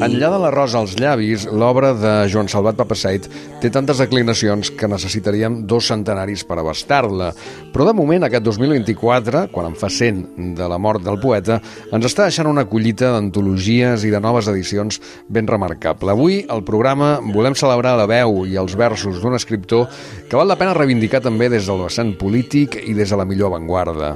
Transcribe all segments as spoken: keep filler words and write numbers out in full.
Enllà de la rosa als llavis, l'obra de Joan Salvat Papasseit té tantes declinacions que necessitaríem dos centenaris per abastar-la. Però de moment, aquest dos mil vint-i-quatre, quan en fa cent de la mort del poeta, ens està deixant una collita d'antologies i de noves edicions ben remarcable. Avui, al programa, volem celebrar la veu i els versos d'un escriptor que val la pena reivindicar també des del vessant polític i des de la millor avantguarda.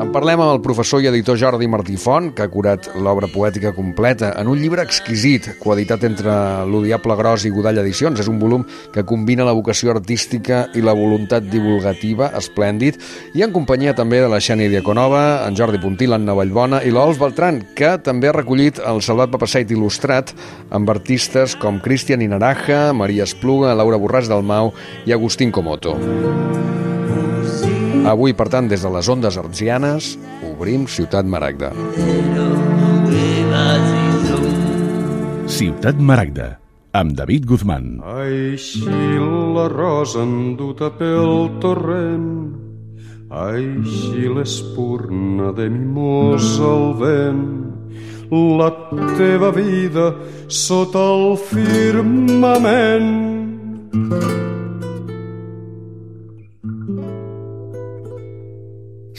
En parlem amb el professor i editor Jordi Martí Font, que ha curat l'obra poètica completa en un llibre exquisit, coeditat entre l'Odiable Gros i Godall Edicions. És un volum que combina la vocació artística i la voluntat divulgativa, esplèndid, i en companyia també de la Xènia Diaconova, en Jordi Puntí, l'Anna Vallbona i l'Ols Beltrán, que també ha recollit el Salvat Papasseit il·lustrat amb artistes com Cristian Inaraja, Maria Espluga, Laura Borràs Dalmau i Agustín Comoto. Avui, per tant, des de les Ondes Artesianes, obrim Ciutat Maragda. Ciutat Maragda, amb David Guzmán. Així la rosa enduta pel torrent, així l'espurna de mimosa al vent, la teva vida sota el firmament.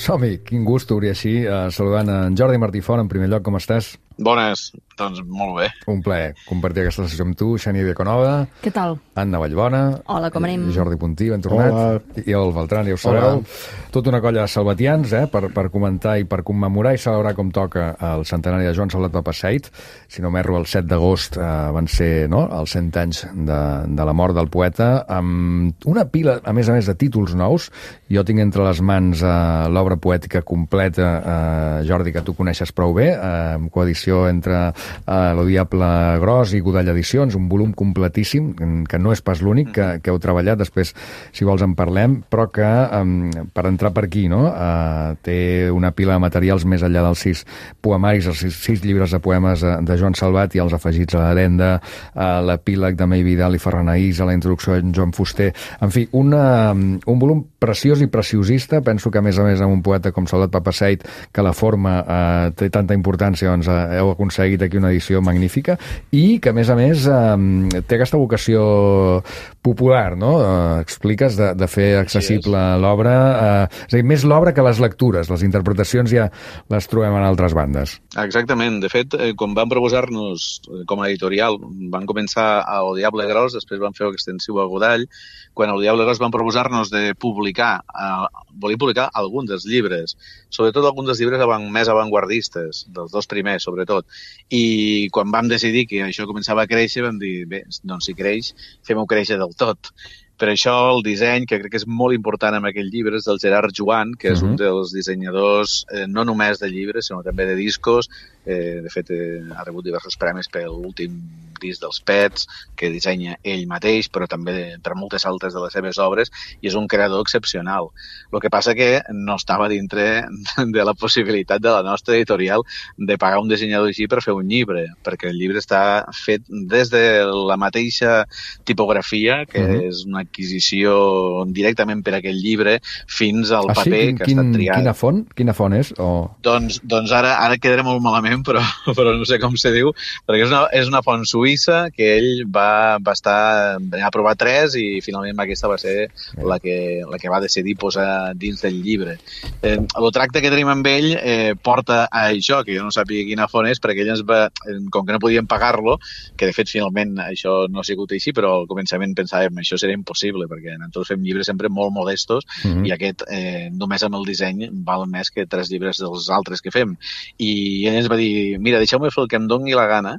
Som-hi, quin gust obrir així, eh, saludant en Jordi Martí Font. En primer lloc, com estàs? Bones, doncs molt bé. Un plaer compartir aquesta sessió amb tu, Xènia Diaconova. Què tal? Anna Vallbona. Hola, com anem? Jordi Puntí, ben tornat. Hola. I el Beltrán, ja ho sabeu. Tota una colla de salvatians, eh, per, per comentar i per commemorar i celebrar com toca el centenari de Joan Salvat Papasseit. Si no m'erro, el set d'agost eh, van ser, no?, els cent anys de, de la mort del poeta, amb una pila, a més a més, de títols nous. Jo tinc entre les mans eh, l'obra poètica completa, eh, Jordi, que tu coneixes prou bé, eh, amb coedició entre eh, l'Odiable Gros i Godall Edicions, un volum completíssim, que no és pas l'únic que, que heu treballat, després, si vols, en parlem, però que, eh, per entrar per aquí, no?, eh, té una pila de materials més enllà dels sis poemaris, els sis, sis llibres de poemes de, de Joan Salvat i els afegits a l'Adenda, a l'epíleg de May Vidal i Ferran Aís, a la introducció de Joan Fuster. En fi, una, un volum preciós i preciosista. Penso que, a més a més, amb un poeta com Salvat Papasseit, que la forma eh, té tanta importància, doncs eh, heu aconseguit aquí una edició magnífica i que, a més a més, eh, té aquesta vocació popular, no? Eh, expliques de, de fer accessible l'obra. Eh, és a dir, més l'obra que les lectures. Les interpretacions ja les trobem en altres bandes. Exactament. De fet, eh, quan van proposar-nos com a editorial, van començar a El Diable Gros, després van fer extensiu a Godall. Quan El Diable Gros van proposar-nos de publicar, eh, volien publicar alguns dels llibres, sobretot alguns dels llibres avant, més avantguardistes, dels dos primers, sobretot. I quan vam decidir que això començava a créixer, vam dir, bé, doncs si creix, fem-ho créixer del tot. Per això el disseny, que crec que és molt important en aquest llibre, és del Gerard Joan, que és uh-huh. un dels dissenyadors eh, no només de llibres, sinó també de discos. Eh, de fet, eh, ha rebut diversos premis per l'últim disc dels Pets, que dissenya ell mateix, però també de, per moltes altres de les seves obres, i és un creador excepcional. El que passa que no estava dintre de la possibilitat de la nostra editorial de pagar un dissenyador així per fer un llibre, perquè el llibre està fet des de la mateixa tipografia, que uh-huh. és una adquisició directament per aquest llibre, fins al ah, paper sí? Quin, que ha estat triat. Quina font? Quina font és? O... Doncs, doncs ara, ara quedaré molt malament, però, però no sé com se diu, perquè és una, és una font suïssa que ell va, va estar, va provar tres i finalment aquesta va ser la que, la que va decidir posar dins del llibre. Eh, el tracte que tenim amb ell eh, porta a això, que jo no sàpiga quina font és, perquè ell ens va, com que no podíem pagar-lo, que de fet finalment això no ha sigut així, però al començament pensàvem això seria impossible, perquè nosaltres fem llibres sempre molt modestos uh-huh. i aquest eh, només amb el disseny val més que tres llibres dels altres que fem. I ell ens va dir, mira, deixeu-me fer el que em doni la gana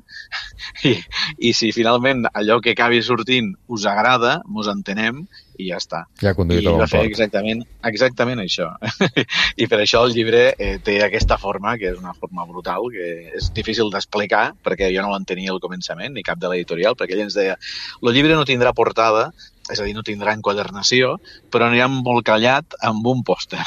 i, i si finalment allò que acabi sortint us agrada, mos entenem i ja està. Ja I va fer exactament, exactament això. I per això el llibre eh, té aquesta forma, que és una forma brutal, que és difícil d'explicar, perquè jo no l'entenia al començament, ni cap de l'editorial, perquè ell ens deia, el llibre no tindrà portada, és a dir, no tindrà enquadernació, però anirà embolcallat amb un pòster.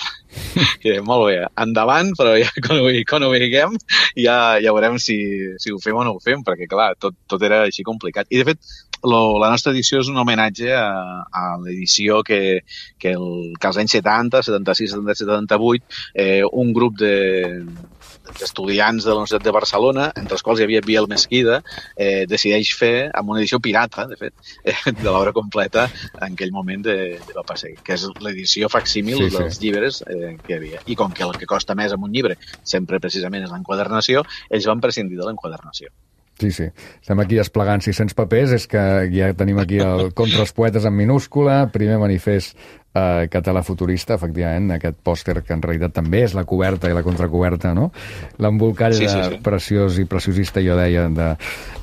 I deia, molt bé, endavant, però ja, quan, ho, quan ho veiem ja, ja veurem si, si ho fem o no ho fem, perquè clar, tot, tot era així complicat. I de fet, lo, la nostra edició és un homenatge a, a l'edició que, que, el, que als anys setanta, setanta-sis, setanta-set, setanta-vuit, eh, un grup de d'estudiants de la Universitat de Barcelona, entre els quals hi havia Biel Mesquida, eh, decideix fer amb una edició pirata, de fet, eh, de l'obra completa en aquell moment de, de Papa Seid, que és l'edició facsímil sí, sí. dels llibres eh, que hi havia. I com que el que costa més en un llibre sempre precisament és l'enquadernació, ells van prescindir de l'enquadernació. Sí, sí. Estem aquí desplegant sis-cents papers, és que ja tenim aquí el Contra els poetes en minúscula, primer manifest eh, català futurista, efectivament, aquest pòster que en realitat també és la coberta i la contracoberta, no? L'embolcall sí, sí, sí. preciós i preciosista, jo deia,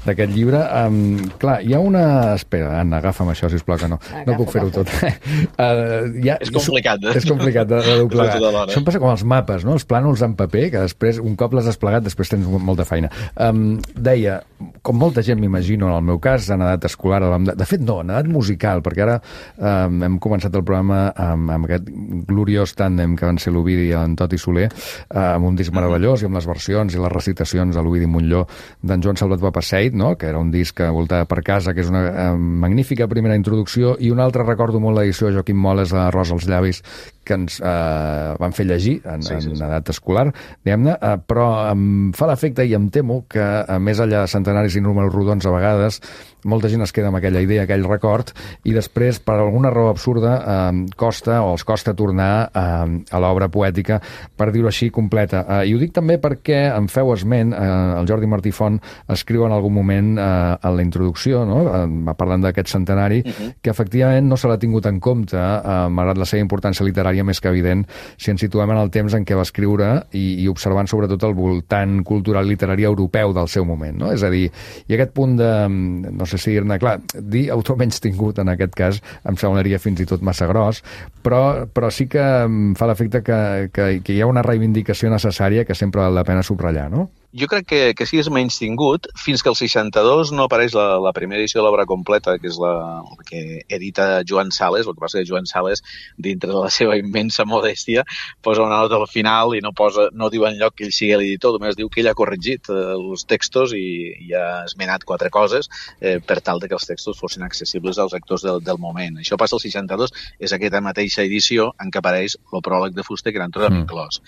d'aquest llibre. Um, clar, hi ha una... Espera, Anna, agafa'm això, sisplau, que no. Agafa, no puc fer-ho tot. uh, ja, és complicat, eh? És complicat de, de doblegar. Això em passa com els mapes, no? Els plànols en paper, que després, un cop l'has desplegat, després tens molta feina. Um, deia, com molta gent m'imagino, en el meu cas, en edat escolar, de fet no, en edat musical, perquè ara um, hem començat el programa amb, amb aquest gloriós tàndem que van ser l'Ovidi i en Toti Soler, uh, amb un disc meravellós i amb les versions i les recitacions de l'Ovidi Montllor d'en Joan Salvat Papa Seid, no? Que era un disc que voltava per casa, que és una uh, magnífica primera introducció, i un altre recordo molt l'edició de Joaquim Moles de Rosa als llavis, que ens eh, van fer llegir en, sí, sí, sí. en edat escolar, diguem-ne, eh, però em fa l'efecte i em temo que, a més enllà de centenaris i números rodons, a vegades molta gent es queda amb aquella idea, aquell record, i després, per alguna raó absurda, eh, costa o els costa tornar eh, a l'obra poètica, per dir-ho així, completa. Eh, I ho dic també perquè em feu esment, eh, el Jordi Martí Font escriu en algun moment eh, en la introducció, no? eh, parlant d'aquest centenari, uh -huh. que efectivament no se l'ha tingut en compte, eh, malgrat la seva importància literària més que evident, si ens situem en el temps en què va escriure i, i observant sobretot el voltant cultural literari europeu del seu moment, no? És a dir, i aquest punt de, no sé si dir-ne, clar, dir autor menys tingut en aquest cas em semblaria fins i tot massa gros, però, però sí que em fa l'efecte que, que, que hi ha una reivindicació necessària que sempre val la pena subratllar, no? Jo crec que, que sí és menys tingut fins que el seixanta-dos no apareix la, la primera edició de l'obra completa, que és la, la que edita Joan Sales. El que passa que Joan Sales, dintre de la seva immensa modèstia, posa una nota al final i no posa, no diu enlloc que ell sigui l'editor, només diu que ell ha corregit eh, els textos i, i ha esmenat quatre coses eh, per tal de que els textos fossin accessibles als lectors del, del moment. Això passa al seixanta-dos, és aquesta mateixa edició en què apareix el pròleg de Fuster, que era en tot amb inclòs.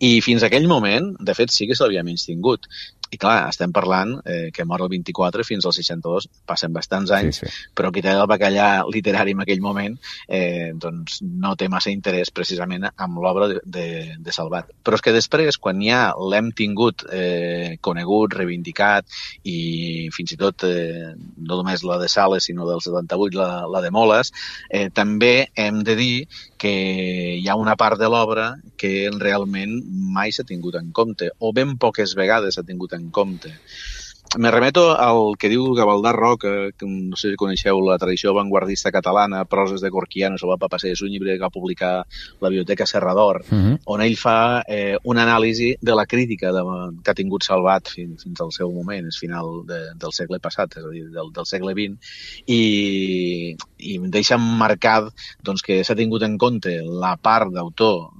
I fins a aquell moment, de fet, sí que se l'havia menys tingut. I clar, estem parlant eh, que mor el vint-i-quatre, fins al seixanta-dos passen bastants anys, sí, sí. Però qui té el bacallà literari en aquell moment eh, doncs no té massa interès precisament amb l'obra de, de, de Salvat. Però és que després, quan ja l'hem tingut eh, conegut, reivindicat i fins i tot eh, no només la de Sales sinó del setanta-vuit, la, la de Moles, eh, també hem de dir que hi ha una part de l'obra que realment mai s'ha tingut en compte, o ben poques vegades s'ha tingut en compte. Me remeto al que diu Gavaldà Roca, que no sé si coneixeu la tradició vanguardista catalana, Proses de Gorquiano, Salvat Papa Seid, és un llibre que va publicar la Biblioteca Serrador, uh -huh. on ell fa eh, una anàlisi de la crítica de, que ha tingut Salvat fins, fins al seu moment, és final de, del segle passat, és a dir, del, del segle vint, i, i deixa marcat doncs, que s'ha tingut en compte la part d'autor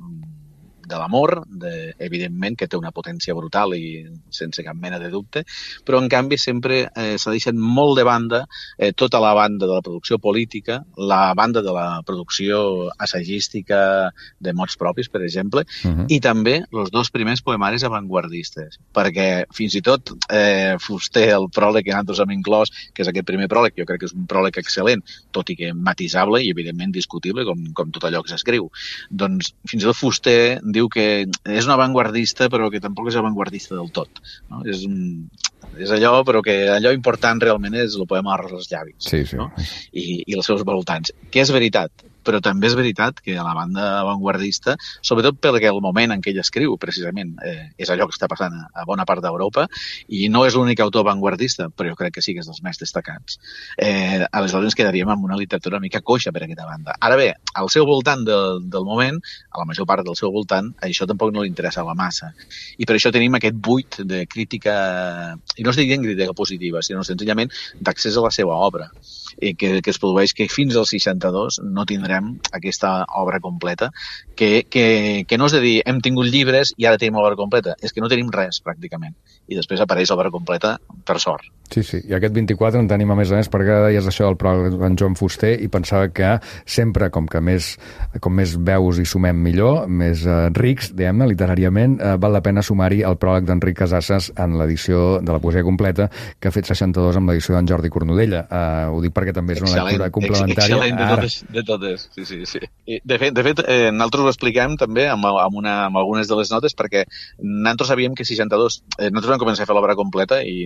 de l'amor, de, evidentment, que té una potència brutal i sense cap mena de dubte, però en canvi sempre eh, s'ha deixat molt de banda eh, tota la banda de la producció política, la banda de la producció assagística de mots propis, per exemple, uh -huh. i també els dos primers poemaris avantguardistes, perquè fins i tot eh, Fuster, el pròleg que nosaltres hem inclòs, que és aquest primer pròleg, jo crec que és un pròleg excel·lent, tot i que matisable i evidentment discutible, com, com tot allò que s'escriu. Doncs fins i tot Fuster diu que és un avantguardista però que tampoc és avantguardista del tot, no? És, un, és allò, però que allò important realment és el poema Arròs als llavis, sí, sí. No? I, i els seus voltants, que és veritat, però també és veritat que a la banda avantguardista, sobretot perquè el moment en què ell escriu, precisament, eh, és allò que està passant a, a bona part d'Europa, i no és l'únic autor avantguardista, però jo crec que sí que és dels més destacats. Eh, aleshores ens quedaríem amb una literatura una mica coixa per aquesta banda. Ara bé, al seu voltant del, del moment, a la major part del seu voltant, això tampoc no li interessa la massa. I per això tenim aquest buit de crítica, i no estic dient crítica positiva, sinó senzillament d'accés a la seva obra, i que, que es produeix que fins al seixanta-dos no tindrem aquesta obra completa que, que, que no és de dir hem tingut llibres i ara tenim l'obra completa, és que no tenim res, pràcticament. I després apareix l'obra completa, per sort. Sí, sí. I aquest vint-i-quatre en tenim a més a més, perquè ara deies això del pròleg d'en Joan Fuster i pensava que sempre, com que més, com més veus hi sumem millor, més eh, rics, diguem-ne, literàriament, eh, val la pena sumar-hi el pròleg d'Enric Casasses en l'edició de la poesia completa que ha fet seixanta-dos amb l'edició d'en Jordi Cornudella. Eh, ho dic perquè també és una excel·lent, lectura complementària. Excel·lent de totes, de totes. Sí, sí, sí. I de fet, de fet eh, nosaltres ho expliquem també amb, amb, una, amb algunes de les notes perquè nosaltres sabíem que seixanta-dos... Eh, nosaltres vam començar a fer l'obra completa i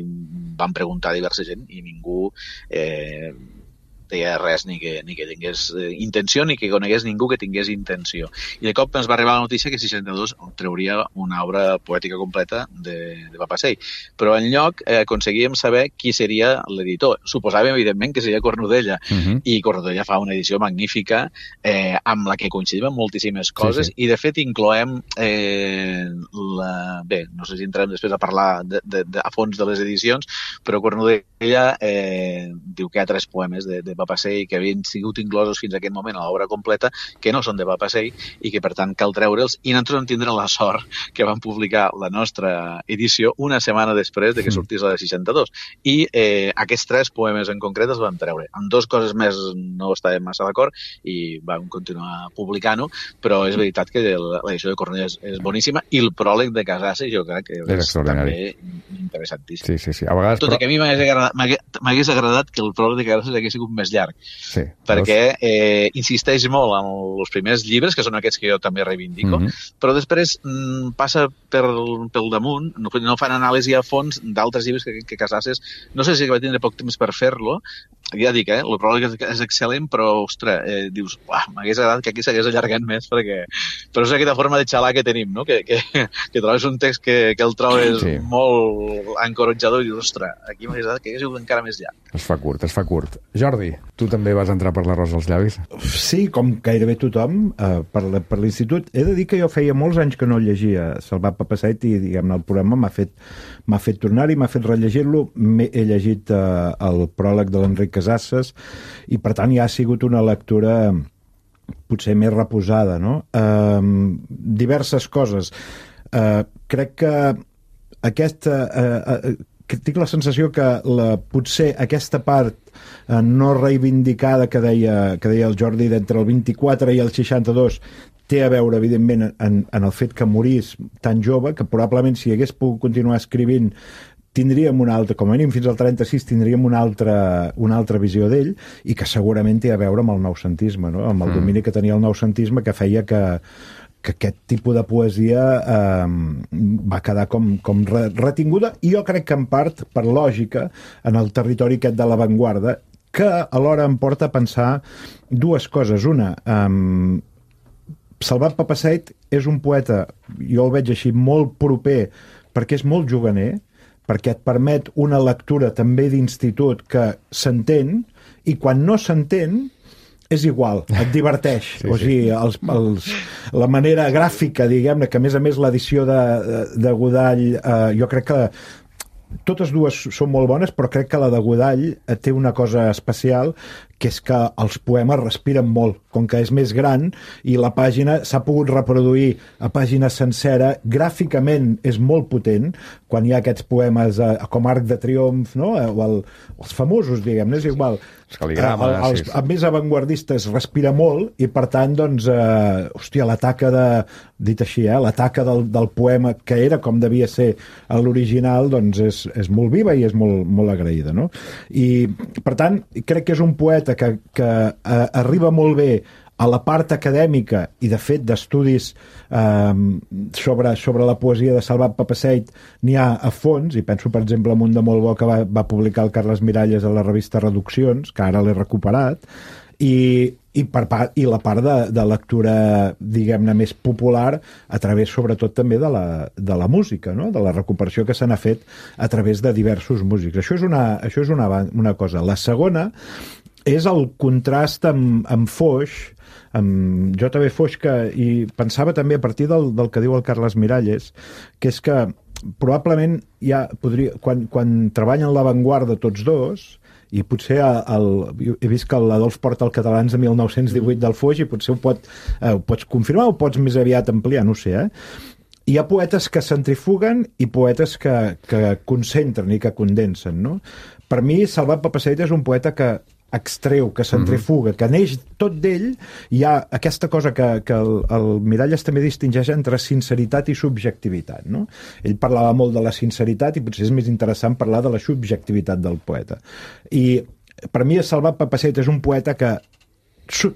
vam preguntar a diversa gent i ningú eh, deia res ni que, ni que tingués eh, intenció ni que conegués ningú que tingués intenció. I de cop ens va arribar la notícia que seixanta-dos trauria una obra poètica completa de, de Papasseit. Però en lloc eh, aconseguíem saber qui seria l'editor. Suposàvem, evidentment, que seria Cornudella. Uh -huh. I Cornudella fa una edició magnífica eh, amb la que coincidim en moltíssimes coses sí, sí. I, de fet, incloem eh, la... Bé, no sé si entrem després a parlar de, de, de, a fons de les edicions, però Cornudella eh, diu que hi ha tres poemes de, de Papasseit que havien sigut inclosos fins a aquest moment a l'obra completa, que no són de Papasseit i que per tant cal treure'ls, i nosaltres vam tindre la sort que vam publicar la nostra edició una setmana després de que sortís la de seixanta-dos i eh, aquests tres poemes en concret els vam treure. En dos coses més no estàvem massa d'acord i vam continuar publicant-ho, però és veritat que l'edició de Cornudella és, és boníssima i el pròleg de Casasses jo crec que és, és també interessantíssim. Sí, sí, sí. A vegades, tot però... i que a mi m'hagués agradat, m'hagués agradat que el pròleg de Casasses hagués sigut més llarg, sí, perquè eh, insisteix molt en els primers llibres, que són aquests que jo també reivindico, mm -hmm. però després mm, passa per, pel damunt, no, no fan anàlisi a fons d'altres llibres que, que Casasses, no sé si va tindre poc temps per fer-lo, ja dic, eh, el pròleg és, és excel·lent, però, ostres, eh, dius, m'hagués agradat que aquí s'hagués allargat més, perquè... Però és aquesta forma de xalar que tenim, no? Que, que, que trobes un text que, que el trobes sí. molt encoratjador i dius, ostres, aquí m'hagués agradat que hagués sigut encara més llarg. Es fa curt, es fa curt. Jordi, tu també vas entrar per l'arròs als llavis? Sí, com gairebé tothom, eh, per, la, per l'institut. He de dir que jo feia molts anys que no llegia Salvat Papasseit i, diguem-ne, el programa m'ha fet, m'ha fet tornar-hi, m'ha fet rellegir-lo. He llegit eh, el pròleg de l'Enric Casasses i, per tant, ja ha sigut una lectura potser més reposada, no? Eh, diverses coses. Eh, crec que aquesta... Eh, eh, que tinc la sensació que la, potser aquesta part eh, no reivindicada que deia, que deia el Jordi d'entre el vint-i-quatre i el seixanta-dos té a veure, evidentment, en, en el fet que morís tan jove, que probablement si hagués pogut continuar escrivint tindríem una altra, com a mínim fins al trenta-sis tindríem una altra, una altra visió d'ell i que segurament té a veure amb el noucentisme, no? Amb el mm. domini que tenia el noucentisme que feia que que aquest tipus de poesia eh, va quedar com, com retinguda i jo crec que en part per lògica en el territori aquest de l'avantguarda que alhora em porta a pensar dues coses. Una, eh, Salvat Papasseit és un poeta, jo el veig així, molt proper perquè és molt juganer, perquè et permet una lectura també d'institut que s'entén i quan no s'entén és igual, et diverteix. Sí, o sigui, els, els, la manera gràfica, diguem-ne, que a més a més l'edició de, de Godall, eh, jo crec que totes dues són molt bones, però crec que la de Godall té una cosa especial, que és que els poemes respiren molt, com que és més gran i la pàgina s'ha pogut reproduir a pàgina sencera, gràficament és molt potent, quan hi ha aquests poemes eh, com Arc de Triomf, no? o el, els famosos, diguem-ne, és igual. Els cal·ligrames, eh, els, sí, sí. els més avantguardistes respira molt i, per tant, doncs, eh, hòstia, l'ataca de, dit així, eh, l'ataca del, del poema, que era com devia ser a l'original, doncs és, és molt viva i és molt, molt agraïda, no? I, per tant, crec que és un poeta que, que eh, arriba molt bé a la part acadèmica i, de fet, d'estudis eh, sobre, sobre la poesia de Salvat Papasseit n'hi ha a fons, i penso, per exemple, en un de molt bo que va, va publicar el Carles Miralles a la revista Reduccions, que ara l'he recuperat, i, i, per part, i la part de, de lectura, diguem-ne, més popular a través, sobretot, també de la, de la música, no? De la recuperació que se n'ha fet a través de diversos músics. Això és una, això és una, una cosa. La segona és el contrast amb, amb Foix, amb J B Foix, que, i pensava també a partir del, del que diu el Carles Miralles, que és que probablement ja podria, quan, quan treballen l'avantguarda tots dos, i potser el, he vist que l'Adolf porta el Catalans de mil nou-cents divuit del Foix i potser ho, pot, eh, ho pots confirmar o pots més aviat ampliar, no ho sé, eh? Hi ha poetes que centrifuguen i poetes que, que concentren i que condensen, no? Per mi, Salvat Papasseit és un poeta que extreu, que centrifuga, que neix tot d'ell. Hi ha aquesta cosa que, que el, el Miralles també distingeix entre sinceritat i subjectivitat, no? Ell parlava molt de la sinceritat i potser és més interessant parlar de la subjectivitat del poeta. I per mi Salvat Papasseit és un poeta que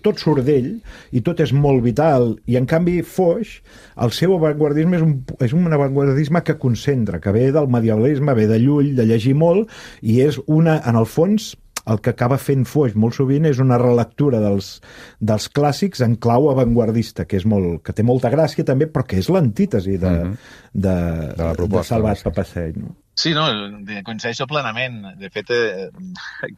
tot surt d'ell i tot és molt vital, i en canvi Foix, el seu avantguardisme és un, és un avantguardisme que concentra, que ve del medievalisme, ve de Llull, de llegir molt, i és una, en el fons, el que acaba fent Foix molt sovint és una relectura dels, dels clàssics en clau avantguardista, que, és molt, que té molta gràcia també, però que és l'antítesi de, mm-hmm. de, de, la proposta, de Salvat Papasseit, no? Sí, no, coincideixo plenament. De fet, eh,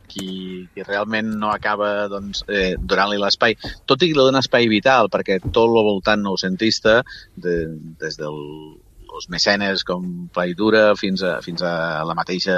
qui, qui realment no acaba doncs, eh, donant-li l'espai, tot i que li dona espai vital, perquè tot el voltant noucentista, de, des del els mecenes com Plaidura fins a, fins a la mateixa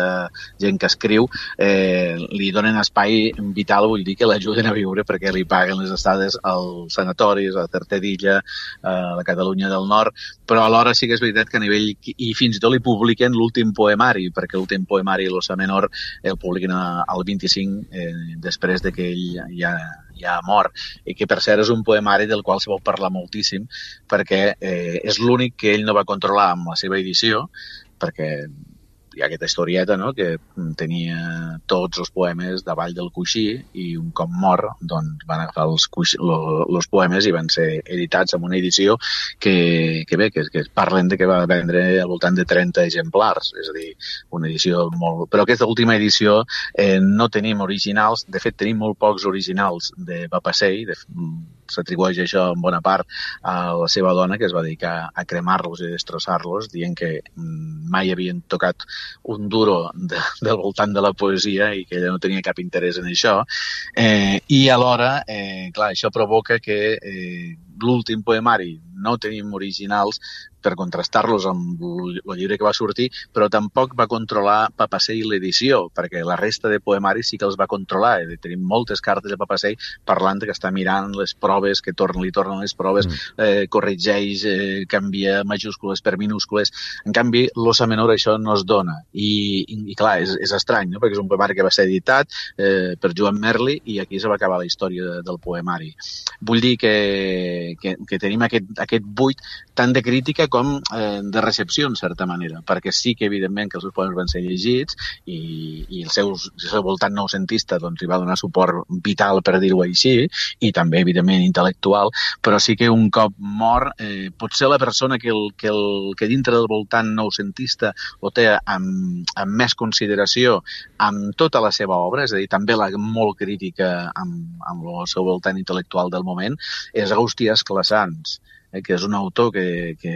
gent que escriu, eh, li donen espai vital, vull dir que l'ajuden a viure perquè li paguen les estades als sanatoris, a Tertedilla, a la Catalunya del Nord, però alhora sí que és veritat que a nivell... i fins i tot li publiquen l'últim poemari, perquè l'últim poemari, l'Ossa Menor, el publiquen al vint-i-cinc, eh, després de que ell ja ja mort, i que per cert és un poemari del qual se vol parlar moltíssim, perquè eh, és l'únic que ell no va controlar amb la seva edició, perquè hi ha aquesta historieta, no?, que tenia tots els poemes davall del coixí i un cop mort doncs, van agafar els, coixí, lo, los poemes i van ser editats en una edició que, que bé, que, que parlen de que va vendre al voltant de trenta exemplars, és a dir, una edició molt... Però aquesta última edició eh, no tenim originals, de fet tenim molt pocs originals de Papasseit, de, s'atribueix això en bona part a la seva dona, que es va dedicar a cremar-los i destrossar-los, dient que mai havien tocat un duro de, del voltant de la poesia i que ella no tenia cap interès en això. Eh, I alhora, eh, clar, això provoca que eh, l'últim poemari no tenim originals per contrastar-los amb el llibre que va sortir, però tampoc va controlar Papasseit l'edició, perquè la resta de poemaris sí que els va controlar. Tenim moltes cartes de Papasseit parlant que està mirant les proves, que torn, li tornen les proves, mm. eh, corregeix, eh, canvia majúscules per minúscules. En canvi, l'Ossa Menor això no es dona. I, i, i clar, és, és estrany, no?, perquè és un poemari que va ser editat eh, per Joan Merli i aquí se va acabar la història de, del poemari. Vull dir que, que, que tenim aquest, aquest buit tant de crítica com eh, de recepció, en certa manera, perquè sí que, evidentment, que els seus poemes van ser llegits i, i el, seu, el seu voltant noucentista doncs, hi va donar suport vital, per dir-ho així, i també, evidentment, intel·lectual, però sí que un cop mort, eh, potser la persona que, el, que, el, que dintre del voltant noucentista ho té amb, amb més consideració amb tota la seva obra, és a dir, també la molt crítica amb, amb el seu voltant intel·lectual del moment, és Agustí Esclassans, eh, que és un autor que, que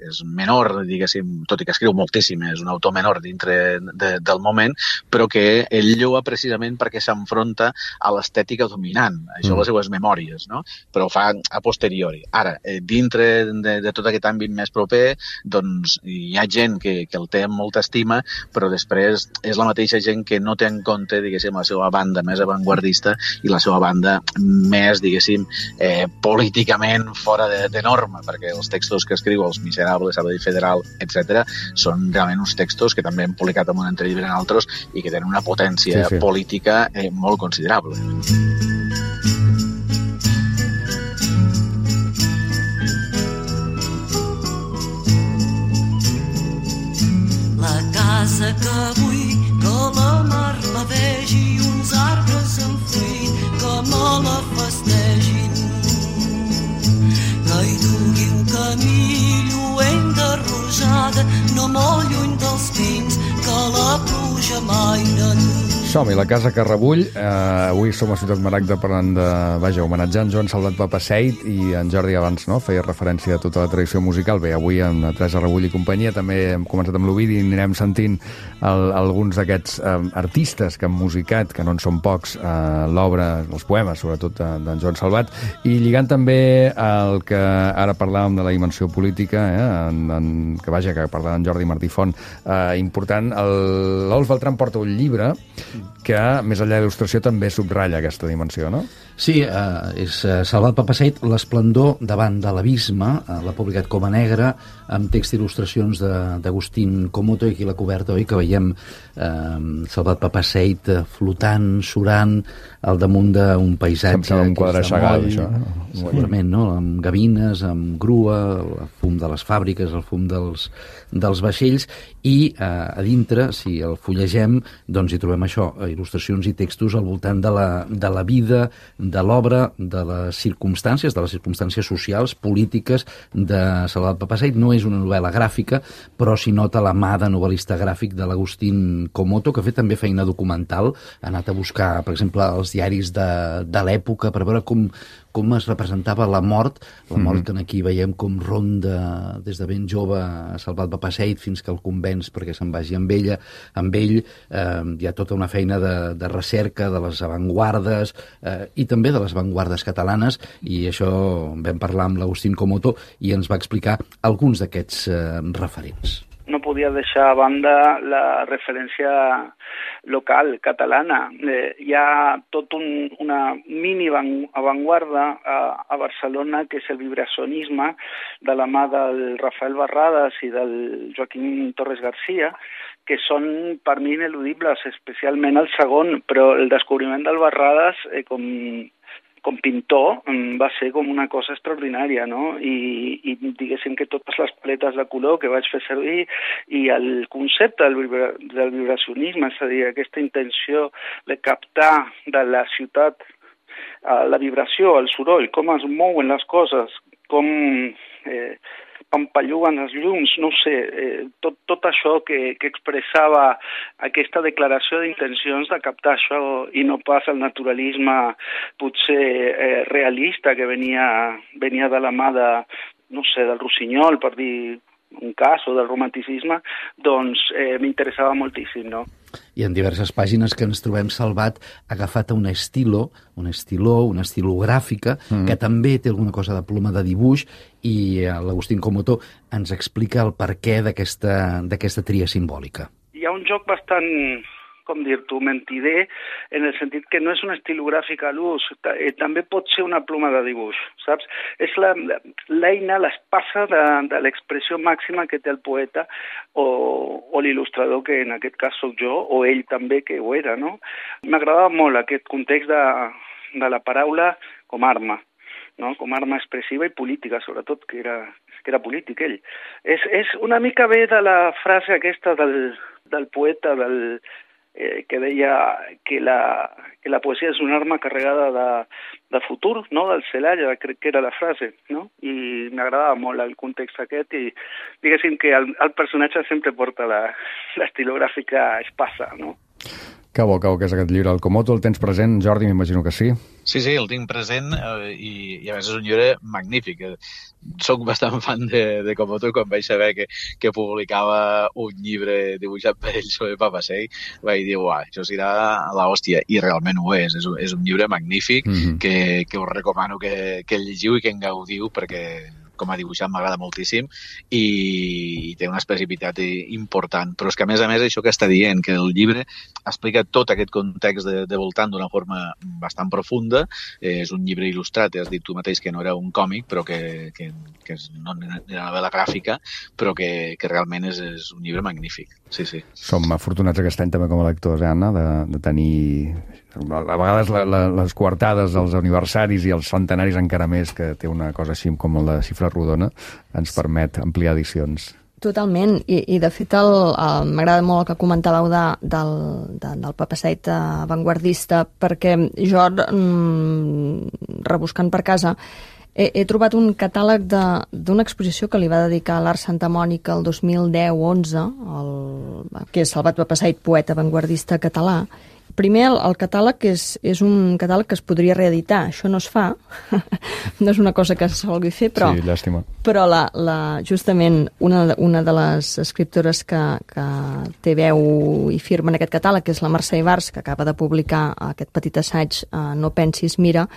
és menor, diguéssim, tot i que escriu moltíssim, és un autor menor dintre de, del moment, però que ell lloa precisament perquè s'enfronta a l'estètica dominant, això mm. les seues memòries, no? Però ho fa a posteriori. Ara, eh, dintre de, de tot aquest àmbit més proper, doncs hi ha gent que, que el té amb molta estima, però després és la mateixa gent que no té en compte, diguéssim, la seva banda més avantguardista i la seva banda més, diguéssim, eh, políticament fora de, de norma, perquè els textos que escriu, Els Miserables, Sabadell Federal, etcètera, són realment uns textos que també han publicat en un altre llibre en altres i que tenen una potència sí, sí. política eh, molt considerable. La casa que vull que la mar la vegi i uns arbres en fruit que me la festegin. Que hi dugui un camí lluent de rosada, no molt lluny dels pins, que la pluja mai n'enduia. Som-hi, la casa que rebull. Eh, avui som a Ciutat Maragda parlant de... Vaja, homenatjant Joan Salvat Papasseit, i en Jordi abans no feia referència a tota la tradició musical. Bé, avui amb Teresa Rebull i companyia també hem començat amb l'Ovidi i anirem sentint el, alguns d'aquests eh, artistes que han musicat, que no en són pocs, eh, l'obra, els poemes, sobretot d'en Joan Salvat, i lligant també el que ara parlàvem de la dimensió política, eh, en, en, que vaja, que parlava en Jordi Martí Font, eh, important. L'Olf Beltran porta un llibre que, més enllà de l'il·lustració, també subratlla aquesta dimensió, no? Sí, eh, és eh, Salvat Papasseit, l'esplendor davant de l'abisme, eh, l'ha publicat com a negre, amb text i il·lustracions d'Agustín Comoto, i aquí la coberta, oi, que veiem eh, Salvat Papasseit flotant, surant, al damunt d'un paisatge... Sempre un quadre Chagall, això. Segurament, no? Amb gavines, amb grua, el fum de les fàbriques, el fum dels, dels vaixells, i eh, a dintre, si el fullegem, doncs hi trobem això, il·lustracions i textos al voltant de la, de la vida, de l'obra, de les circumstàncies, de les circumstàncies socials, polítiques de Salvat Papasseit. No és una novel·la gràfica, però s'hi nota la mà de novel·lista gràfic de l'Agustín Comoto, que ha fet també feina documental, ha anat a buscar, per exemple, els diaris de, de l'època per veure com, com es representava la mort, la mort mm-hmm. que aquí veiem com ronda des de ben jove a Salvat Papasseit fins que el convenç perquè se'n vagi amb ella, amb ell. Eh, hi ha tota una feina de, de recerca de les avantguardes eh, i també de les avantguardes catalanes, i això vam parlar amb l'Agustín Comoto i ens va explicar alguns d'aquests eh, referents. No podia deixar a banda la referència local catalana. Eh, hi ha tot un, una mini avantguarda a, a Barcelona, que és el vibracionisme, de la mà del Rafael Barradas i del Joaquim Torres Garcia, que són per mi ineludibles, especialment el segon, però el descobriment del Barradas eh, com... com pintor va ser com una cosa extraordinària, no? I, i diguéssim que totes les paletes de color que vaig fer servir i el concepte del, vibra, del vibracionisme, és a dir, aquesta intenció de captar de la ciutat uh, la vibració, el soroll, com es mouen les coses, com eh, pampalluguen els llums, no sé, eh, tot, tot això que, que expressava aquesta declaració d'intencions de captar això i no pas el naturalisme potser eh, realista que venia, venia de la mà de, no sé, del Rossinyol, per dir un cas, o del romanticisme, doncs eh, m'interessava moltíssim, no? I en diverses pàgines que ens trobem Salvat agafat a un estilo, un estiló, una estilogràfica, mm. que també té alguna cosa de ploma de dibuix, i l'Agustín Comoto ens explica el perquè d'aquesta d'aquesta tria simbòlica. Hi ha un joc bastant, com dir-t'ho, mentider, en el sentit que no és un estilogràfic a l'ús, també pot ser una ploma de dibuix, saps? És l'eina, l'espasa de, de l'expressió màxima que té el poeta o, o l'il·lustrador, que en aquest cas sóc jo, o ell també, que ho era, no? M'agradava molt aquest context de, de la paraula com arma, no? Com arma expressiva i política, sobretot, que era, que era polític ell. És, és una mica bé de la frase aquesta del, del poeta, del... Eh, que deia que la, que la poesia és una arma carregada de, de futur, no? Del Celaya, crec que era la frase, no? I m'agradava molt el context aquest i diguéssim que el, el personatge sempre porta l'estilogràfica espasa, no? Que bo, que bo que és aquest llibre. El Comoto el tens present, Jordi, m'imagino que sí. Sí, sí, el tinc present eh, i, i a més és un llibre magnífic. Soc bastant fan de, de Comoto i quan vaig saber que, que publicava un llibre dibuixat per ell sobre Papasseit vaig dir, uah, això serà l'hòstia. I realment ho és. És un, és un llibre magnífic mm-hmm. que, que us recomano que, que el llegiu i que en gaudiu perquè com a dibuixant m'agrada moltíssim i, i té una especificitat important, però és que a més a més això que està dient, que el llibre explica tot aquest context de, de voltant d'una forma bastant profunda, eh, és un llibre il·lustrat, has dit tu mateix que no era un còmic, però que, que, que és no era una novel·la gràfica, però que, que realment és, és un llibre magnífic, sí, sí. Som afortunats aquest any també com a lectors, eh, Anna, de, de tenir a vegades la, la, les coartades dels aniversaris i els centenaris encara més, que té una cosa així com la xifra rodona, ens permet ampliar edicions. Totalment, i, i de fet el, el, m'agrada molt el que comentàveu de, del, de, del Papasseit avantguardista, perquè jo, mm, rebuscant per casa, he, he trobat un catàleg d'una exposició que li va dedicar a l'Art Santa Mònica el dos mil deu onze, que és Salvat Papasseit, poeta avantguardista català. Primer, el, el catàleg és, és un catàleg que es podria reeditar. Això no es fa, no és una cosa que se vulgui fer, però, sí, llàstima. Però la, la, justament una, una de les escriptores que, que té veu i firma en aquest catàleg, que és la Mercè Ibars, que acaba de publicar aquest petit assaig, eh, No pensis, mira,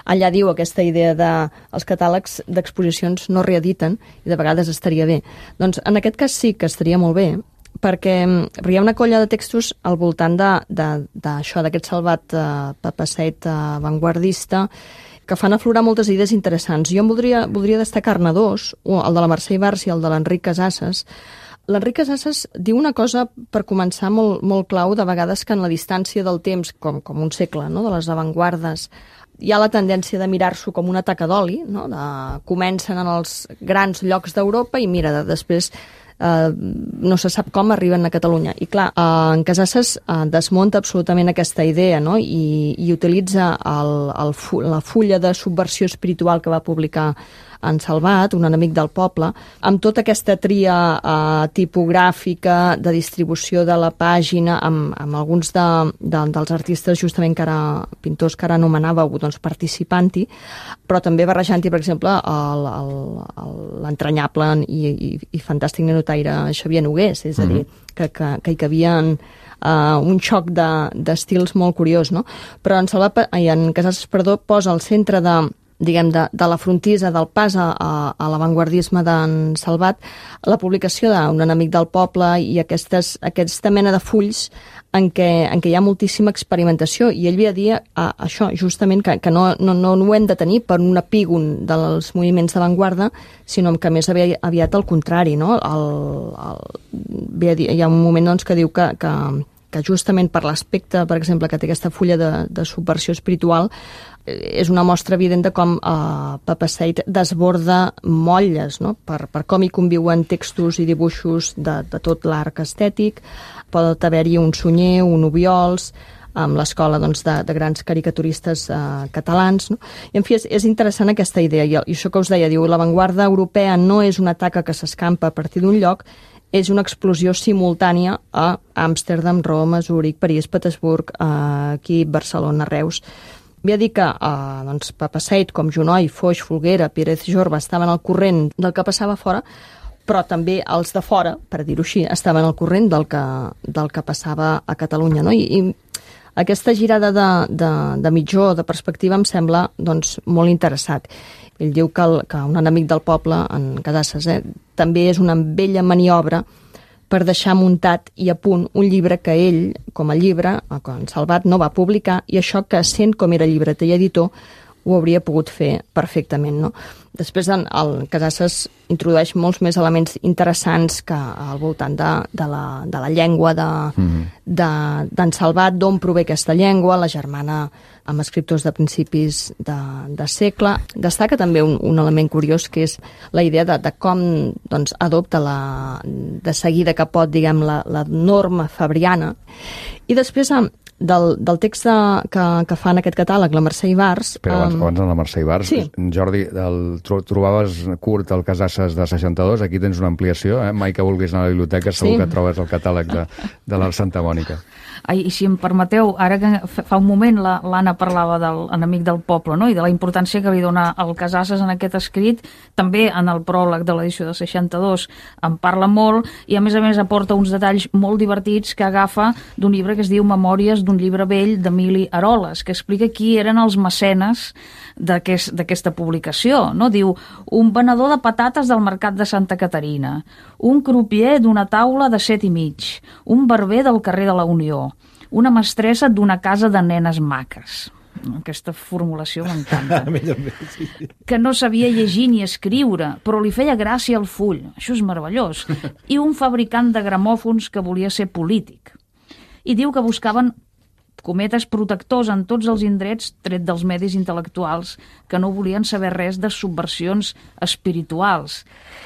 allà diu aquesta idea de els catàlegs d'exposicions no reediten i de vegades estaria bé. Doncs en aquest cas sí que estaria molt bé, perquè hi ha una colla de textos al voltant d'això, d'aquest Salvat eh, Papasseit eh, avantguardista, que fan aflorar moltes idees interessants. Jo en voldria, voldria destacar-ne dos, el de la Mercè Ibars i el de l'Enric Casasses. L'Enric Casasses diu una cosa, per començar, molt, molt clau, de vegades que en la distància del temps, com, com un segle, no?, de les avantguardes, hi ha la tendència de mirar-s'ho com una taca d'oli, no?, de, comencen en els grans llocs d'Europa i mira, de, després eh, no se sap com arriben a Catalunya. I clar, eh, en Casasses eh, desmunta absolutament aquesta idea, no?, i, i utilitza el, el, la fulla de subversió espiritual que va publicar en Salvat, un enemic del poble, amb tota aquesta tria eh, tipogràfica de distribució de la pàgina, amb, amb alguns de, de, dels artistes justament que ara, pintors que ara anomenàveu, doncs, participant-hi, però també barrejant-hi, per exemple, l'entranyable i, i, i fantàstic nenotaire Xavier Nogués, és a dir, que, que, que hi cabien Uh, un xoc d'estils de, molt curiós, no? Però en, Salvat, ai, en Casasses, perdó, posa al centre de, diguem, de, de la frontisa del pas a, a, a l'avantguardisme d'en Salvat la publicació d'un enemic del poble i aquestes, aquesta mena de fulls en què, en què hi ha moltíssima experimentació, i ell ve a dir a, això, justament, que, que no, no, no ho hem de tenir per un epígon dels moviments d'avantguarda, sinó que més aviat, aviat al contrari, no? El, el, ve a dir, hi ha un moment, doncs, que diu que, que que justament per l'aspecte, per exemple, que té aquesta fulla de, de subversió espiritual, és una mostra evident de com eh, Papasseit desborda motlles, no?, per, per com hi conviuen textos i dibuixos de, de tot l'arc estètic. Pot haver-hi un Sunyer, un Obiols, amb l'escola, doncs, de, de grans caricaturistes eh, catalans, no? I, en fi, és, és interessant aquesta idea, i, i això que us deia, diu, l'avantguarda europea no és una taca que s'escampa a partir d'un lloc, és una explosió simultània a Amsterdam, Roma, Zúrich, París, Petersburg, aquí, Barcelona, Reus. Ve a dir que eh, doncs, Papasseit, com Junoy, Foix, Folguera, Pérez Jorba estaven al corrent del que passava fora, però també els de fora, per dir-ho així, estaven al corrent del que, del que passava a Catalunya, no? I, i aquesta girada de, de, de mitjó, de perspectiva, em sembla, doncs, molt interessat. Ell diu que, el, que un enemic del poble, en Casasses, eh, també és una vella maniobra per deixar muntat i a punt un llibre que ell, com a llibre, en Salvat, no va publicar, i això que, sent com era llibreter i editor, ho hauria pogut fer perfectament, no? Després, en, el Casasses introdueix molts més elements interessants que al voltant de, de, la, de la llengua d'en mm-hmm. de, d'en Salvat, d'on prové aquesta llengua, la germana amb escriptors de principis de, de segle. Destaca també un, un element curiós, que és la idea de, de com, doncs, adopta la, de seguida que pot, diguem, la, la norma fabriana. I després, del, del text de, que, que fa en aquest catàleg, la Mercè Ibars... Però abans, um... abans de la Mercè Ibars, sí. Jordi, el, trobaves curt el Casasses de seixanta-dos, aquí tens una ampliació, eh? Mai que vulguis anar a la biblioteca segur sí. que trobes el catàleg de, de la Santa Mònica. Ai, i si em permeteu, ara que fa un moment l'Anna parlava de l'enemic del poble, no?, i de la importància que li dona el Casasses en aquest escrit, també en el pròleg de l'edició de seixanta-dos en parla molt, i a més a més aporta uns detalls molt divertits que agafa d'un llibre que es diu Memòries d'un llibre vell d'Emili Aroles, que explica qui eren els mecenes d'aquesta aquest, publicació, no? Diu, un venedor de patates del mercat de Santa Caterina, un crupier d'una taula de set i mig, un barber del carrer de la Unió, una mestressa d'una casa de nenes maques. Aquesta formulació m'encanta. Que no sabia llegir ni escriure, però li feia gràcia al full. Això és meravellós. I un fabricant de gramòfons que volia ser polític. I diu que buscaven cometes protectors en tots els indrets, tret dels medis intel·lectuals, que no volien saber res de subversions espirituals.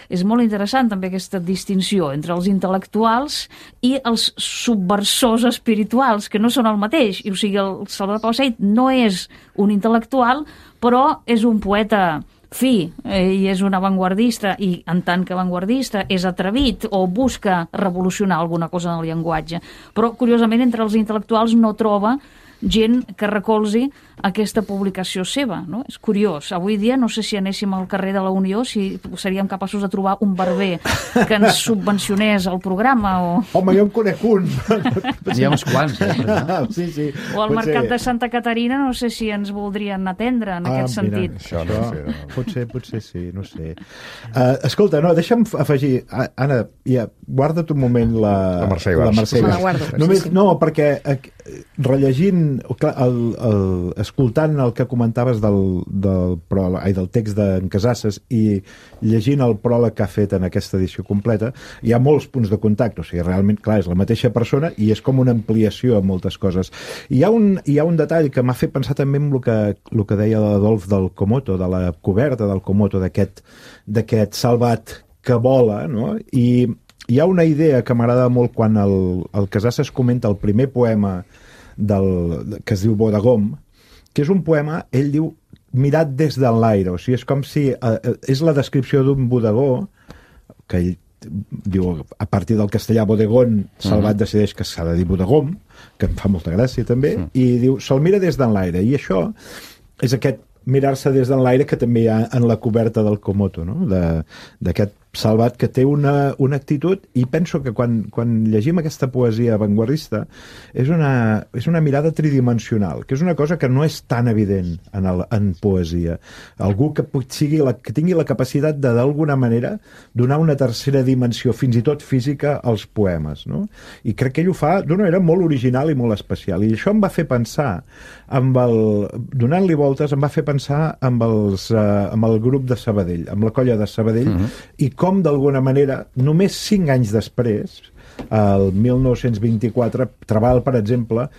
És molt interessant també aquesta distinció entre els intel·lectuals i els subversors espirituals, que no són el mateix. I, o sigui, el Salvat Papasseit no és un intel·lectual, però és un poeta fi, eh, i és un avantguardista, i en tant que avantguardista és atrevit o busca revolucionar alguna cosa en el llenguatge. Però, curiosament, entre els intel·lectuals no troba gent que recolzi aquesta publicació seva, no? És curiós. Avui dia no sé si anéssim al carrer de la Unió, si seríem capaços de trobar un barber que ens subvencionés el programa o... Home, jo en conec un. Hi ha uns quants, eh? Sí, sí. O al Potser... mercat de Santa Caterina no sé si ens voldrien atendre en ah, aquest mira, sentit. Això no sé. No. Potser, potser sí, no sé. Uh, escolta, no, deixa'm afegir... Anna, ja, guarda't un moment la... La Mercè Ibars. La Mercè Me la Ibars. guardo. Només, Sí, sí. no, perquè eh, rellegint, clar, el, el, escoltant el que comentaves del, del, pròleg, ai, del text d'en Casasses i llegint el pròleg que ha fet en aquesta edició completa, hi ha molts punts de contacte, o sigui, realment, clar, és la mateixa persona i és com una ampliació a moltes coses. I hi ha un, hi ha un detall que m'ha fet pensar també en el que, el que deia l'Adolf del Komoto, de la coberta del Komoto, d'aquest d'aquest salvat que vola, no? I hi ha una idea que m'agrada molt quan el, el Casasses comenta el primer poema del, que es diu Bodegom, que és un poema, ell diu, mirat des de l'aire, o sigui, és com si eh, és la descripció d'un bodegó que ell diu, a partir del castellà bodegón, Salvat uh -huh. decideix que s'ha de dir bodegom, que em fa molta gràcia també, uh -huh. i diu, se'l mira des de l'aire, i això és aquest mirar-se des de l'aire que també hi ha en la coberta del Komoto, no? D'aquest Salvat que té una, una actitud, i penso que quan, quan llegim aquesta poesia avantguardista és una, és una mirada tridimensional, que és una cosa que no és tan evident en, el, en poesia. Algú que, sigui la, que tingui la capacitat de, d'alguna manera, donar una tercera dimensió, fins i tot física, als poemes, no? I crec que ell ho fa d'una manera molt original i molt especial. I això em va fer pensar, amb el, donant-li voltes, em va fer pensar amb, els, uh, amb el grup de Sabadell, amb la colla de Sabadell, uh-huh. i com d'alguna manera, només cinc anys després, el mil nou-cents vint-i-quatre, Trabal, per exemple,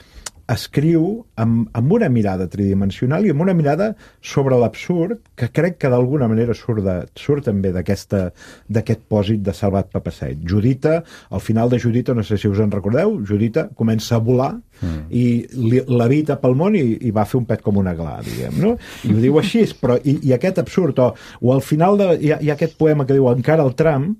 escriu amb, amb una mirada tridimensional i amb una mirada sobre l'absurd, que crec que d'alguna manera surt, de, surt també d'aquest pòsit de Salvat Papasseit. Judita, al final de Judita, no sé si us en recordeu, Judita comença a volar mm. i levita pel món i, i va fer un pet com una gla, diguem, no? I ho diu així, però i, i aquest absurd, o, o al final de, hi, ha, hi ha aquest poema que diu Encara el tram,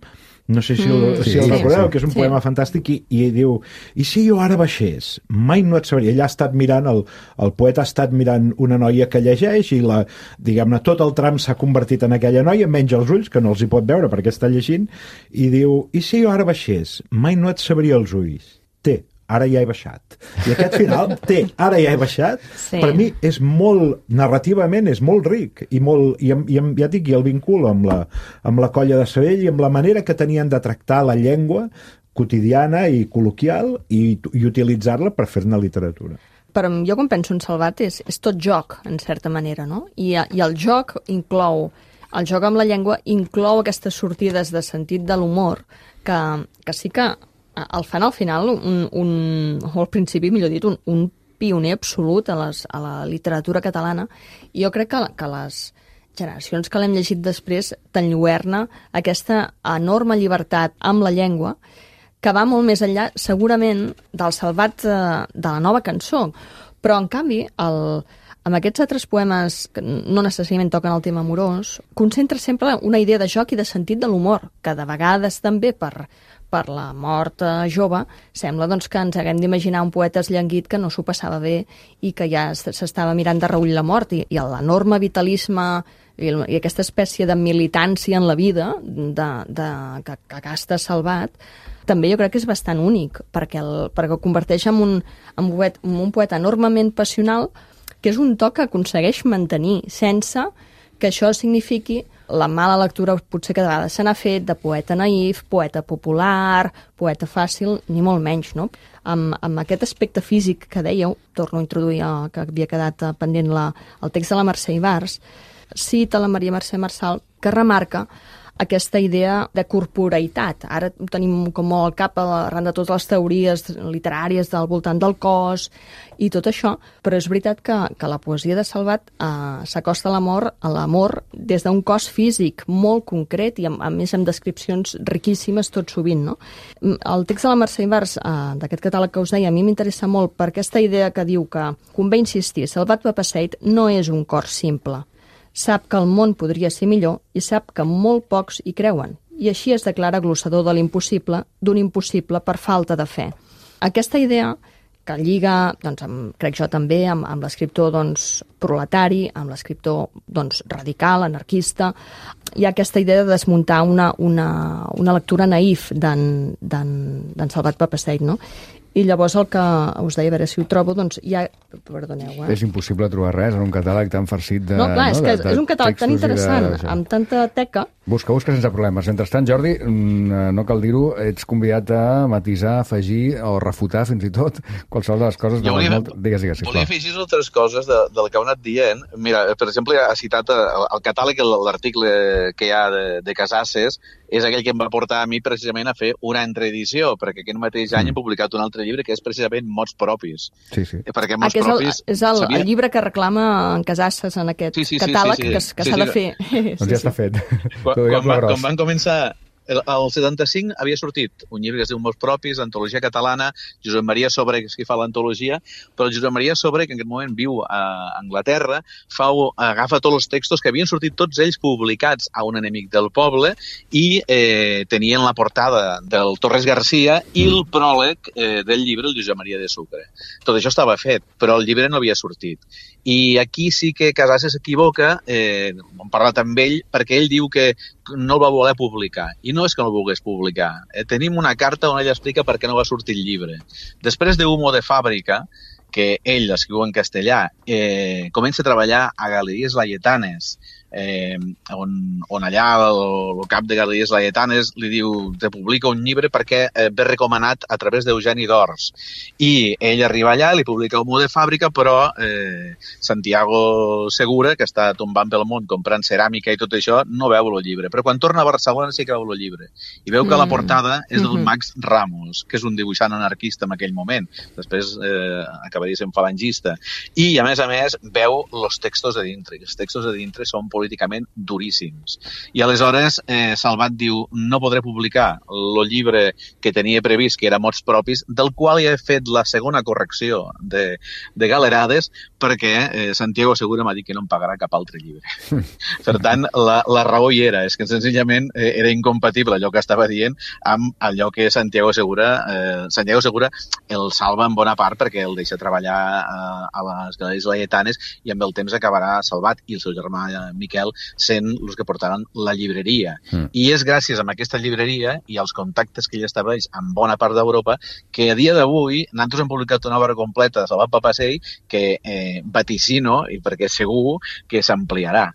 no sé si el, mm, si el sí, recordeu, sí, que és un sí. poema fantàstic, i, i diu, i si jo ara baixés, mai no et sabria. Ell ha estat mirant, el, el poeta ha estat mirant una noia que llegeix i la, diguem-ne, tot el tram s'ha convertit en aquella noia, menys els ulls, que no els hi pot veure perquè està llegint, i diu, i si jo ara baixés, mai no et sabria els ulls. Té, ara ja he baixat. I aquest final, té, ara ja he baixat, sí. per mi és molt, narrativament, és molt ric, i, molt, i, i ja et dic, i el vinculo amb la, amb la colla de Sabadell i amb la manera que tenien de tractar la llengua quotidiana i col·loquial i, i utilitzar-la per fer-ne literatura. Però jo quan penso en Salvat és, és tot joc, en certa manera, no? I, I el joc inclou, el joc amb la llengua inclou aquestes sortides de sentit de l'humor que, que sí que el fan al final, un, un, o al principi, millor dit, un, un pioner absolut a, les, a la literatura catalana, i jo crec que, que les generacions que l'hem llegit després t'enlluerna aquesta enorme llibertat amb la llengua que va molt més enllà, segurament, del Salvat de, de la nova cançó. Però, en canvi, el, amb aquests altres poemes que no necessàriament toquen el tema amorós, concentra sempre una idea de joc i de sentit de l'humor, que de vegades també per per la mort eh, jove, sembla doncs, que ens haguem d'imaginar un poeta esllanguit que no s'ho passava bé i que ja s'estava mirant de reull la mort, i, i l'enorme vitalisme i, i aquesta espècie de militància en la vida de, de, que, que gasta Salvat, també jo crec que és bastant únic, perquè el, perquè el converteix en un, en un, poeta, en un poeta enormement passional, que és un to que aconsegueix mantenir, sense que això signifiqui la mala lectura potser que de vegades se n'ha fet de poeta naïf, poeta popular, poeta fàcil, ni molt menys, no? Amb, amb aquest aspecte físic que dèieu, torno a introduir el que havia quedat pendent la, el text de la Mercè Ibars, cita la Maria Mercè Marçal, que remarca aquesta idea de corporeïtat. Ara ho tenim com molt al cap arran de totes les teories literàries del voltant del cos i tot això, però és veritat que, que la poesia de Salvat eh, s'acosta a l'amor a l'amor des d'un cos físic molt concret i a, a més amb descripcions riquíssimes tot sovint, no? El text de la Mercè Ibars, eh, d'aquest catàleg que us deia, a mi m'interessa molt per aquesta idea que diu que convé insistir, Salvat Papasseit no és un cor simple. Sap que el món podria ser millor i sap que molt pocs hi creuen. I així es declara glossador de l'impossible, d'un impossible per falta de fe. Aquesta idea que lliga, doncs, amb, crec jo també, amb, amb l'escriptor doncs, proletari, amb l'escriptor doncs, radical, anarquista. Hi ha aquesta idea de desmuntar una, una, una lectura naïf d'en Salvat Papasseit, no? I llavors el que us deia, a veure si ho trobo, doncs hi ha... Perdoneu, eh? És impossible trobar res en un catàleg tan farcit de... No, clar, és no, que de, de és un catàleg tan interessant, de... amb tanta teca... Busca, busca sense problemes. Mentrestant, Jordi, no cal dir-ho, ets convidat a matisar, afegir o refutar, fins i tot, qualsevol de les coses... Jo volia, molt... digues, digues, volia afegir altres coses de, del que heu anat dient. Mira, per exemple, ha citat el, el catàleg, l'article que hi ha de, de Casasses, és aquell que em va portar a mi precisament a fer una entreedició, perquè aquest mateix any mm. he publicat un altre llibre que és precisament Mots propis. Sí, sí. Perquè Mots ah, propis... És, el, és el, sabia... el llibre que reclama en Casasses en aquest sí, sí, catàleg sí, sí, sí. que, que s'ha sí, sí. de fer. Doncs ja està fet. Quan, quan, va, quan van començar... El, el setanta-cinc havia sortit un llibre que es diu Mots propis, antologia catalana, Josep Maria Sobre, que és qui fa l'antologia, però el Josep Maria Sobre, que en aquest moment viu a Anglaterra, fa, agafa tots els textos que havien sortit tots ells publicats a Un enemic del poble i eh, tenien la portada del Torres Garcia i el pròleg eh, del llibre, el Josep Maria de Sucre. Tot això estava fet, però el llibre no havia sortit. I aquí sí que Casasses s'equivoca, eh, hem parlat amb ell, perquè ell diu que no el va voler publicar. I no és que no el volgués publicar. Eh, tenim una carta on ell explica per què no va sortir el llibre. Després de Humo de Fàbrica, que ell escriu en castellà, eh, comença a treballar a Galeries Laietanes, eh, on, on allà el, el cap de Galeries Laietanes li diu te publica un llibre perquè eh, ve recomanat a través d'Eugeni d'Ors. I ell arriba allà, li publica Humo de Fàbrica, però eh, Santiago Segura, que està tombant pel món comprant ceràmica i tot això, no veu el llibre. Però quan torna a Barcelona sí que veu el llibre. I veu que mm. la portada és del Max Ramos, que és un dibuixant anarquista en aquell moment. Després eh, acabaria sent falangista. I, a més a més, veu els textos de dintre. Els textos de dintre són políticament duríssims. I aleshores eh, Salvat diu no podré publicar el llibre que tenia previst, que era Mots propis, del qual ja he fet la segona correcció de, de galerades, perquè eh, Santiago Segura m'ha dit que no em pagarà cap altre llibre. Per tant, la, la raó hi era, és que senzillament eh, era incompatible allò que estava dient amb allò que Santiago Segura eh, Santiago Segura el salva en bona part perquè el deixa treballar eh, a les Galeries Laietanes i amb el temps acabarà Salvat i el seu germà eh, Miquel sent els que portaran la llibreria. Mm. I és gràcies a aquesta llibreria i als contactes que ell estableix en bona part d'Europa que a dia d'avui nosaltres hem publicat una obra completa de Salvat Papasseit que eh, vaticino i perquè segur que s'ampliarà.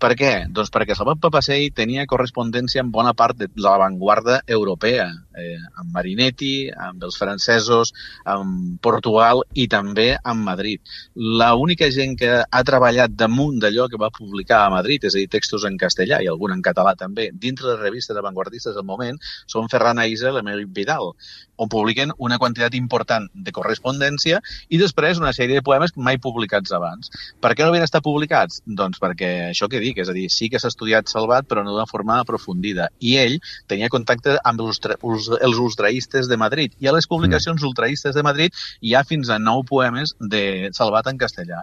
Per què? Doncs perquè Salvat Papasseit tenia correspondència amb bona part de l'avantguarda europea, eh, amb Marinetti, amb els francesos, amb Portugal i també amb Madrid. L'única gent que ha treballat damunt d'allò que va publicar a Madrid, és a dir, textos en castellà i algun en català també, dintre les revistes avantguardistes del moment, són Ferran Aïssa i l'Emili Vidal, on publiquen una quantitat important de correspondència i després una sèrie de poemes mai publicats abans. Per què no havien estat publicats? Doncs perquè això que dic, és a dir, sí que s'ha estudiat Salvat, però no d'una forma aprofundida. I ell tenia contacte amb els, els ultraistes de Madrid. I a les publicacions mm. ultraistes de Madrid hi ha fins a nou poemes de Salvat en castellà.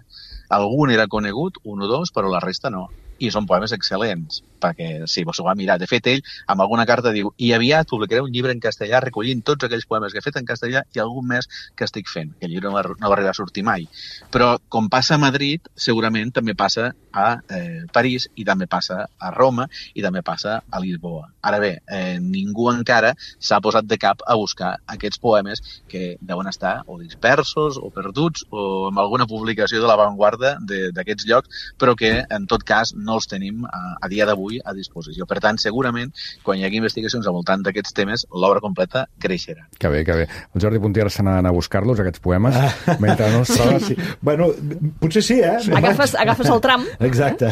Algun era conegut, un o dos, però la resta no. I són poemes excel·lents, perquè sí, vos ho va mirar. De fet, ell, amb alguna carta, diu i aviat publicaré un llibre en castellà recollint tots aquells poemes que he fet en castellà i algun més que estic fent. Que el llibre no va, no va arribar a sortir mai. Però, com passa a Madrid, segurament també passa a eh, París i també passa a Roma i també passa a Lisboa. Ara bé, eh, ningú encara s'ha posat de cap a buscar aquests poemes que deuen estar o dispersos o perduts o amb alguna publicació de l'avantguarda d'aquests llocs, però que, en tot cas, no els tenim a, a dia d'avui a disposició. Per tant, segurament, quan hi hagi investigacions al voltant d'aquests temes, l'obra completa creixerà. Que bé, que bé. El Jordi Puntier se n'ha d'anar a buscar-los, aquests poemes, ah. mentre no es troba... Sí. Bueno, potser sí, eh? Agafes, agafes el tram. Exacte.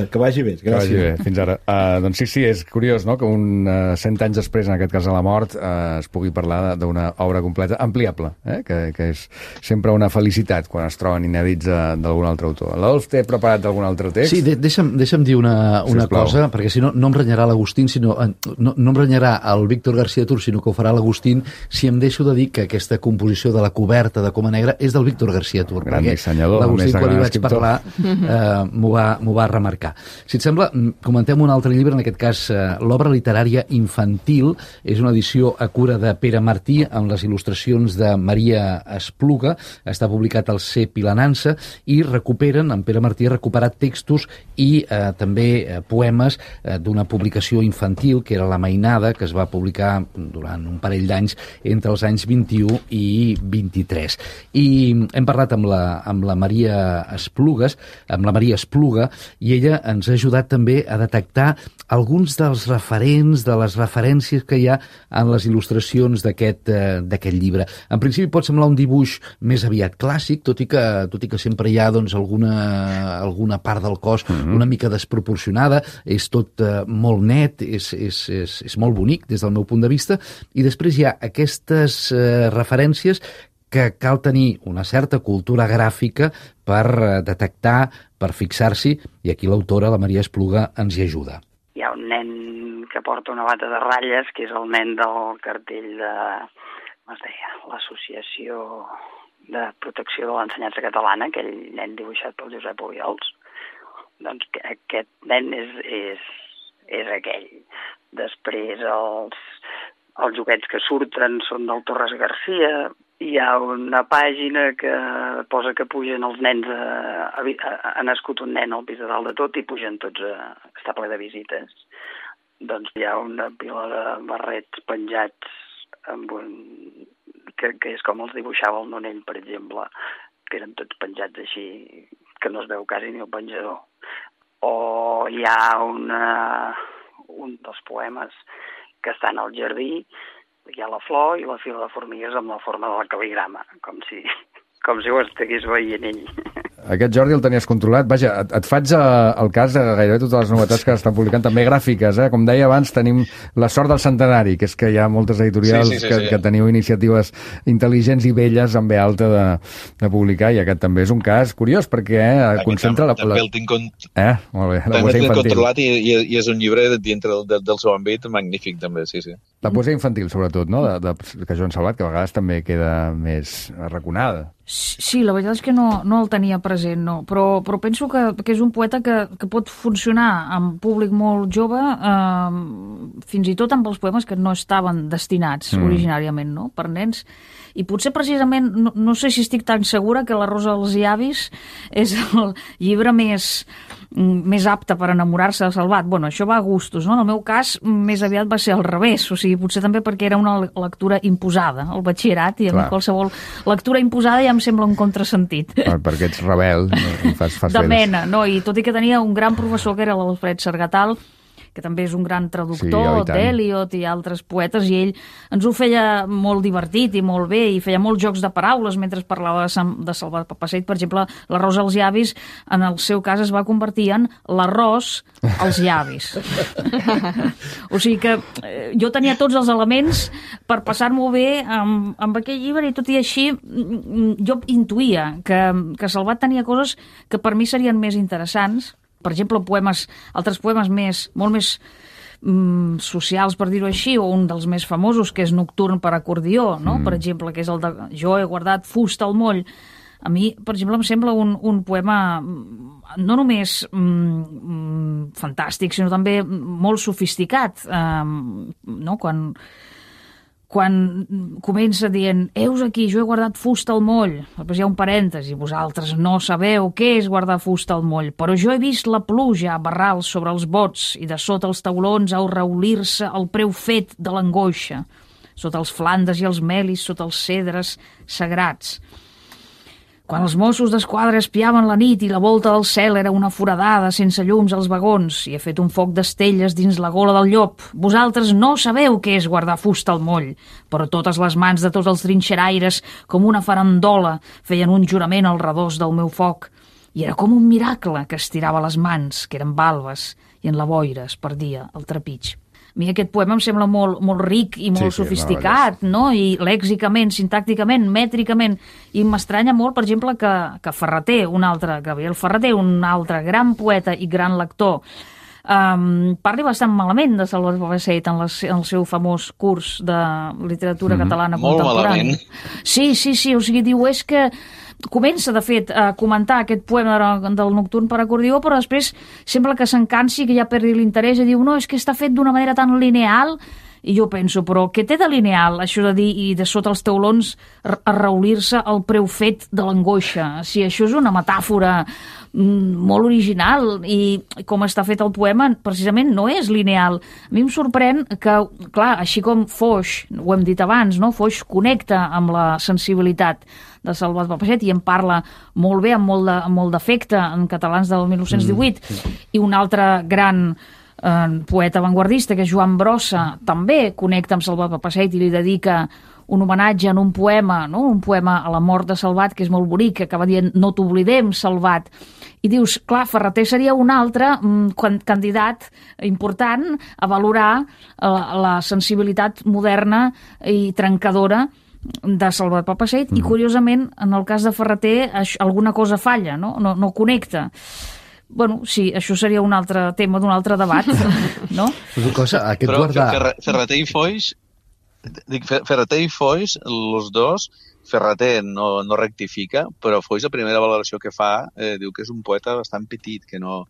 Que vagi bé. Gràcies. Que vagi bé, fins ara. Uh, doncs sí, sí, és curiós, no?, que un uh, cent anys després, en aquest cas de la mort, uh, es pugui parlar d'una obra completa ampliable, eh? que, que és sempre una felicitat quan es troben inèdits d'algun altre autor. L'Adolf té preparat algun altre text? Sí, de deixa'm, deixa'm dir una, una, una cosa, perquè si no, no em renyarà l'Agustín, sinó, no, no em renyarà el Víctor García Tur, sinó que ho farà l'Agustín, si em deixo de dir que aquesta composició de la coberta de Coma Negra és del Víctor García Tur. Gran dissenyador. L'Agustín, quan hi vaig escriptor. parlar, eh, m'ho va, m'ho va remarcar. Si et sembla, comentem un altre llibre, en aquest cas eh, l'obra literària infantil, és una edició a cura de Pere Martí, amb les il·lustracions de Maria Espluga, està publicat al C. Pilanança, i recuperen, en Pere Martí ha recuperat textos i eh, també eh, poemes eh, d'una publicació infantil, que era La Mainada, que es va publicar durant un parell d'anys entre els anys vint-i-u i vint-i-tres. I hem parlat amb la, amb la Maria Esplugues, amb la Maria Espluga, i ella ens ha ajudat també a detectar alguns dels referents, de les referències que hi ha en les il·lustracions d'aquest eh, d'aquest llibre. En principi pot semblar un dibuix més aviat clàssic, tot i que, tot i que sempre hi ha doncs, alguna, alguna part del cos mm-hmm. una mica desproporcionada, és tot eh, molt net, és, és, és, és molt bonic des del meu punt de vista, i després hi ha aquestes eh, referències que cal tenir una certa cultura gràfica per eh, detectar, per fixar-s'hi, i aquí l'autora, la Maria Espluga, ens hi ajuda. Hi ha un nen que porta una bata de ratlles, que és el nen del cartell de, com es deia, l'Associació de Protecció de l'Ensenyança Catalana, aquell nen dibuixat pel Josep Obiols. Doncs que aquest nen és, és, és aquell. Després els, els joguets que surten són del Torres Garcia. Hi ha una pàgina que posa que pugen els nens, a, a, a, ha nascut un nen al pis de dalt de tot i pugen tots a, està ple de visites. Doncs hi ha una pila de barrets penjats amb un, que, que és com els dibuixava el Nonell, per exemple, que eren tots penjats així, que no es veu quasi ni el penjador. O hi ha una, un dels poemes que estan al jardí, hi ha la flor i la fila de formigues amb la forma de la cal·ligrama, com si, com si ho estigués veient ell. Aquest Jordi el tenies controlat. Vaja, et, et faig eh, el cas de gairebé totes les novetats que estan publicant, també gràfiques. Eh? Com deia abans, tenim la sort del centenari, que és que hi ha moltes editorials sí, sí, sí, que, sí. que teniu iniciatives intel·ligents i belles amb B alta de, de publicar, i aquest també és un cas curiós, perquè eh, concentra... També, la, també el tinc, con... eh? Molt bé, la també el tinc controlat i, i, i és un llibre dintre del, del, del seu àmbit magnífic, també, sí, sí. La poesia infantil, sobretot, no? De, de, que Joan Salvat, que a vegades també queda més arraconada. Sí, la veritat és que no, no el tenia present, no. Però, però penso que, que és un poeta que, que pot funcionar amb públic molt jove, eh, fins i tot amb els poemes que no estaven destinats mm. originàriament, no?, per nens. I potser precisament, no, no sé si estic tan segura que La Rosa dels Llavis és el llibre més, més apte per enamorar-se de Salvat. Bueno, això va a gustos, no? En el meu cas, més aviat va ser al revés, o sigui, potser també perquè era una lectura imposada, el batxillerat, i a mi qualsevol lectura imposada ja em sembla un contrasentit. Per, perquè ets rebel, no? Fas, fas de mena, no? I tot i que tenia un gran professor que era l'Alfred Sargatal, que també és un gran traductor sí, d'Eliot i altres poetes, i ell ens ho feia molt divertit i molt bé, i feia molts jocs de paraules mentre parlava de, de Salvat Papasseit. Per exemple, la rosa als llavis, en el seu cas, es va convertir en l'arròs als llavis. O sigui que eh, jo tenia tots els elements per passar-m'ho bé amb, amb aquell llibre, i tot i així jo intuïa que, que Salvat tenia coses que per mi serien més interessants. Per exemple, poemes, altres poemes més, molt més mm, socials, per dir-ho així, o un dels més famosos, que és Nocturn per acordió, no? Mm. Per exemple, que és el de Jo he guardat fusta al moll. A mi, per exemple, em sembla un, un poema no només mm, fantàstic, sinó també molt sofisticat. Um, no? Quan... quan comença dient «Heus aquí, jo he guardat fusta al moll», després hi ha un parèntesi, vosaltres no sabeu què és guardar fusta al moll, però jo he vist la pluja a barrals sobre els bots i de sota els taulons a reolir-se el preu fet de l'angoixa, sota els flandes i els melis, sota els cedres sagrats. Quan els Mossos d'Esquadra espiaven la nit i la volta del cel era una foradada sense llums als vagons i he fet un foc d'estelles dins la gola del llop. Vosaltres no sabeu què és guardar fusta al moll, però totes les mans de tots els trinxeraires, com una farandola, feien un jurament al redós del meu foc. I era com un miracle que estirava les mans, que eren balbes, i en la boira es perdia el trepig. A mi aquest poema em sembla molt, molt ric i molt sí, sí, sofisticat, no? I lèxicament, sintàcticament, mètricament, i m'estranya molt, per exemple, que, que Ferreter, un altre, Gabriel Ferreter, un altre gran poeta i gran lector, um, parli bastant malament de Salvat Papasseit en, les, en el seu famós curs de literatura mm-hmm. catalana Molt contemporània. malament. Sí, sí, sí, o sigui, diu, és que comença, de fet, a comentar aquest poema del Nocturn per acordió, però després sembla que s'encansi, que ja perdi l'interès i diu, no, és que està fet d'una manera tan lineal. I jo penso, però què té de lineal això de dir i de sota els teulons arraulir-se el preu fet de l'angoixa? Si això és una metàfora molt original i com està fet el poema precisament no és lineal. A mi em sorprèn que, clar, així com Foix, ho hem dit abans, no? Foix connecta amb la sensibilitat de Salvat Papasseit i en parla molt bé, amb molt de, amb molt d'efecte en Catalans del mil nou-cents divuit, mm. i un altre gran eh, poeta avantguardista, que és Joan Brossa, també connecta amb Salvat Papasseit i li dedica un homenatge en un poema, no? Un poema a la mort de Salvat, que és molt bonic, que acaba dient no t'oblidem, Salvat. I dius, clar, Ferrater seria un altre mm, candidat important a valorar eh, la sensibilitat moderna i trencadora de Salvat Papasseit, mm. i curiosament, en el cas de Ferrater, això, alguna cosa falla, no? No, no connecta. Bueno, sí, això seria un altre tema d'un altre debat, no? Cosa, aquest Però guardar... Ferrater i Foix, dic, Ferrater i Foix, els dos, Ferrater no, no rectifica, però Foix, la primera valoració que fa, eh, diu que és un poeta bastant petit, que no,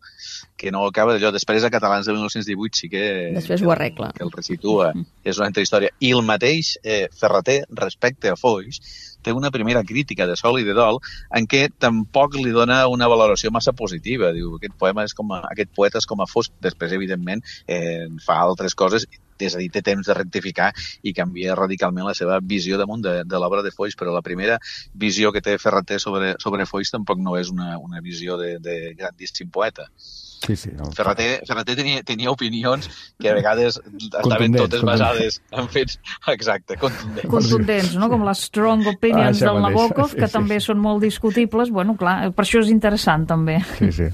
que no acaba d'allò. Després, a Catalans de mil nou-cents divuit sí que... Després ho arregla. Que el resitua. Mm. És una altra història. I el mateix eh, Ferrater, respecte a Foix, té una primera crítica de Sol i de Dol en què tampoc li dona una valoració massa positiva. Diu, aquest poema és com a, aquest poeta és com a fosc. Després, evidentment, eh, fa altres coses, és a dir, té temps de rectificar i canvia radicalment la seva visió damunt de, de l'obra de Foix, però la primera visió que té Ferrater sobre, sobre Foix tampoc no és una, una visió de, de grandíssim poeta. Sí, sí, no. Ferrater, Ferrater tenia, tenia opinions que a vegades estaven totes basades en fets, exacte, contundents. Contundents, no? Com les strong opinions ah, del Nabokov, que sí, sí. també són molt discutibles. Bueno, clar, per això és interessant, també. Sí, sí.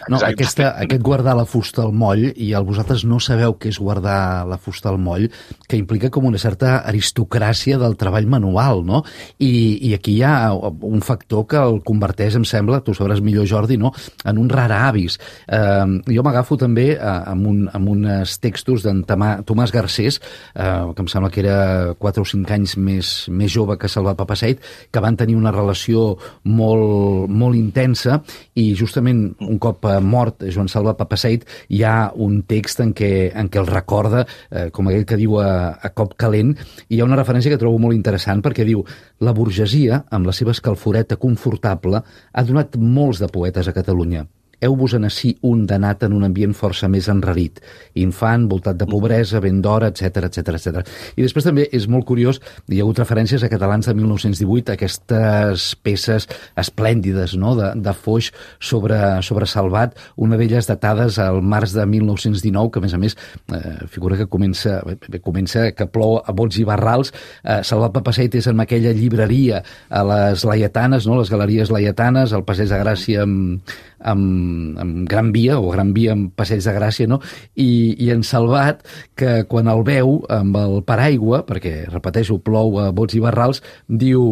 No, aquesta, aquest guardar la fusta al moll, i el vosaltres no sabeu què és guardar la fusta al moll, que implica com una certa aristocràcia del treball manual, no? I, i aquí hi ha un factor que el converteix, em sembla, tu sabràs millor, Jordi, no? En un rar avis. Eh, jo m'agafo també eh, amb, un, amb uns textos d'en Tomàs Garcés, eh, que em sembla que era quatre o cinc anys més, més jove que Salvat Papasseit, que van tenir una relació molt, molt intensa, i justament un cop mort Joan Salvat Papasseit hi ha un text en què, en què el recorda, eh, com aquell que diu a, a cop calent, i hi ha una referència que trobo molt interessant perquè diu: la burgesia, amb la seva escalforeta confortable, ha donat molts de poetes a Catalunya. Heu-vos en ací un danat en un ambient força més enrarit, infant, voltat de pobresa, ben d'hora, etcètera, etcètera, etcètera. I després també és molt curiós, hi ha hagut referències a Catalans de mil nou-cents divuit, aquestes peces esplèndides, no?, de, de Foix sobre, sobre Salvat, una d'elles datades al març de mil nou-cents dinou, que a més a més eh, figura que comença, bé, comença que plou a bots i barrals. eh, Salvat Papasseit és en aquella llibreria a les Laietanes, no?, les galeries Laietanes, al Passeig de Gràcia amb, amb amb Gran Via, o Gran Via amb Passeig de Gràcia, no? I, i en Salvat, que quan el veu amb el paraigua, perquè, repeteixo, plou a bots i barrals, diu,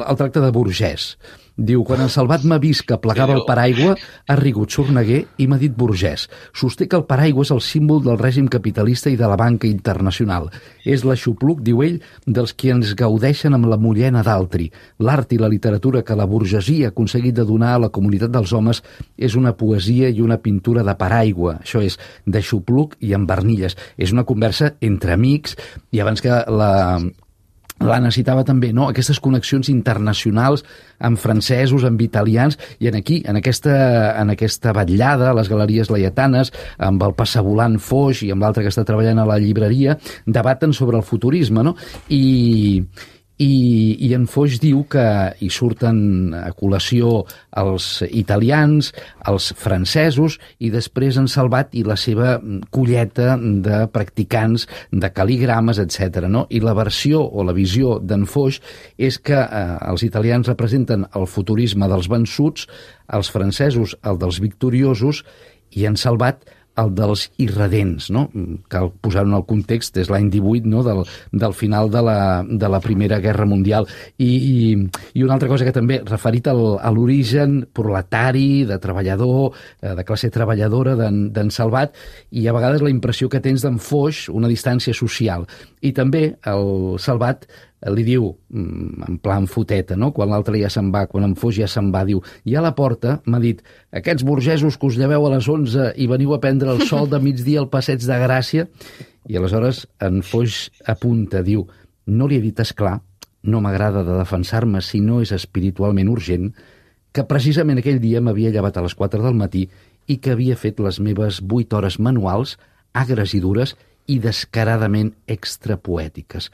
el tracta de burgès. Diu, quan en Salvat m'ha vist que plegava el paraigua, ha rigut sorneguer i m'ha dit burgès. Sosté que el paraigua és el símbol del règim capitalista i de la banca internacional. És l'aixopluc, diu ell, dels qui ens gaudeixen amb la mullena d'altri. L'art i la literatura que la burgesia ha aconseguit de donar a la comunitat dels homes és una poesia i una pintura de paraigua. Això és, d'aixopluc i amb barnilles. És una conversa entre amics, i abans que la... l'Anna citava també, no?, aquestes connexions internacionals amb francesos, amb italians, i en aquí, en aquesta, en aquesta vetllada a les galeries Laietanes, amb el passavolant Foix i amb l'altre que està treballant a la llibreria, debaten sobre el futurisme, no? I... I, i en Foix diu que hi surten a col·lació els italians, els francesos, i després en Salvat i la seva colleta de practicants de cal·ligrames, etcètera, no? I la versió o la visió d'en Foix és que eh, els italians representen el futurisme dels vençuts, els francesos el dels victoriosos, i en Salvat el dels irredents, no? Cal posar-ho en el context, és l'any divuit, no? del, del final de la, de la Primera Guerra Mundial. I, i, i una altra cosa que també, referit al, a l'origen proletari, de treballador, de classe treballadora d'en Salvat, i a vegades la impressió que tens d'en Foix, una distància social. I també el Salvat li diu, en plan foteta, no? Quan l'altre ja se'n va, quan en Foix ja se'n va, diu, i a la porta m'ha dit, aquests burgesos que us lleveu a les onze i veniu a prendre el sol de migdia al Passeig de Gràcia, i aleshores en Foix apunta, diu, no li he dit esclar, no m'agrada de defensar-me si no és espiritualment urgent, que precisament aquell dia m'havia llevat a les quatre del matí i que havia fet les meves vuit hores manuals, agres i dures, i descaradament extrapoètiques.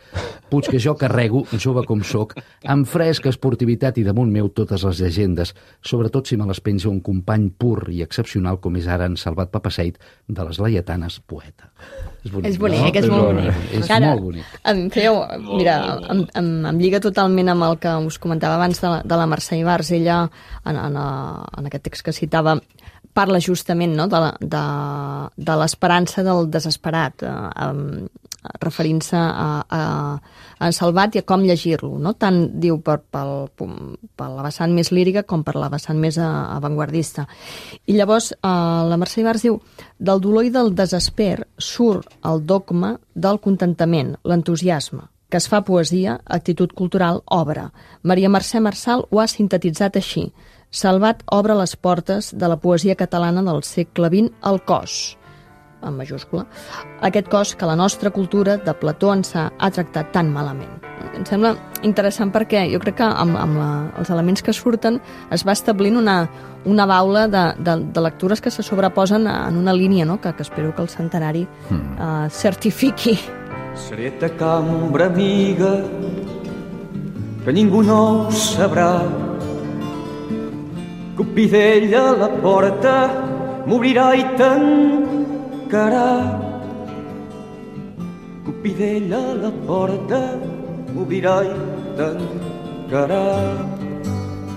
Puig que jo carrego, jove com soc, amb fresca esportivitat i damunt meu totes les llegendes, sobretot si me les penja un company pur i excepcional com és ara en Salvat Papasseit de les Laietanes, poeta. És bonic, és bonic, no? És molt bonic. És Ara, molt bonic. Em feu, mira, em, em, em lliga totalment amb el que us comentava abans de la, de la Mercè Ibars. Ella, en, en, en aquest text que citava, parla justament, no?, de, de, de l'esperança del desesperat, eh, eh, referint-se a, a, a Salvat i a com llegir-lo, no? Tant, diu, per, pel, per la vessant més lírica com per la vessant més avantguardista. I llavors eh, la Mercè Ibars diu, del dolor i del desesper surt el dogma del contentament, l'entusiasme, que es fa poesia, actitud cultural, obra. Maria Mercè Marçal ho ha sintetitzat així. Salvat obre les portes de la poesia catalana del segle vint al cos, en majúscula, aquest cos que la nostra cultura de Plató ens ha, ha tractat tan malament. Em sembla interessant perquè jo crec que amb, amb la, els elements que surten es va establint una, una baula de, de, de lectures que se sobreposen en una línia, no?, que, que espero que el centenari mm. eh, certifiqui. Seré ta cambra amiga que ningú no ho sabrà, Cupidell a la porta m'obrirà i tancarà. Cupidell a la porta m'obrirà i tancarà.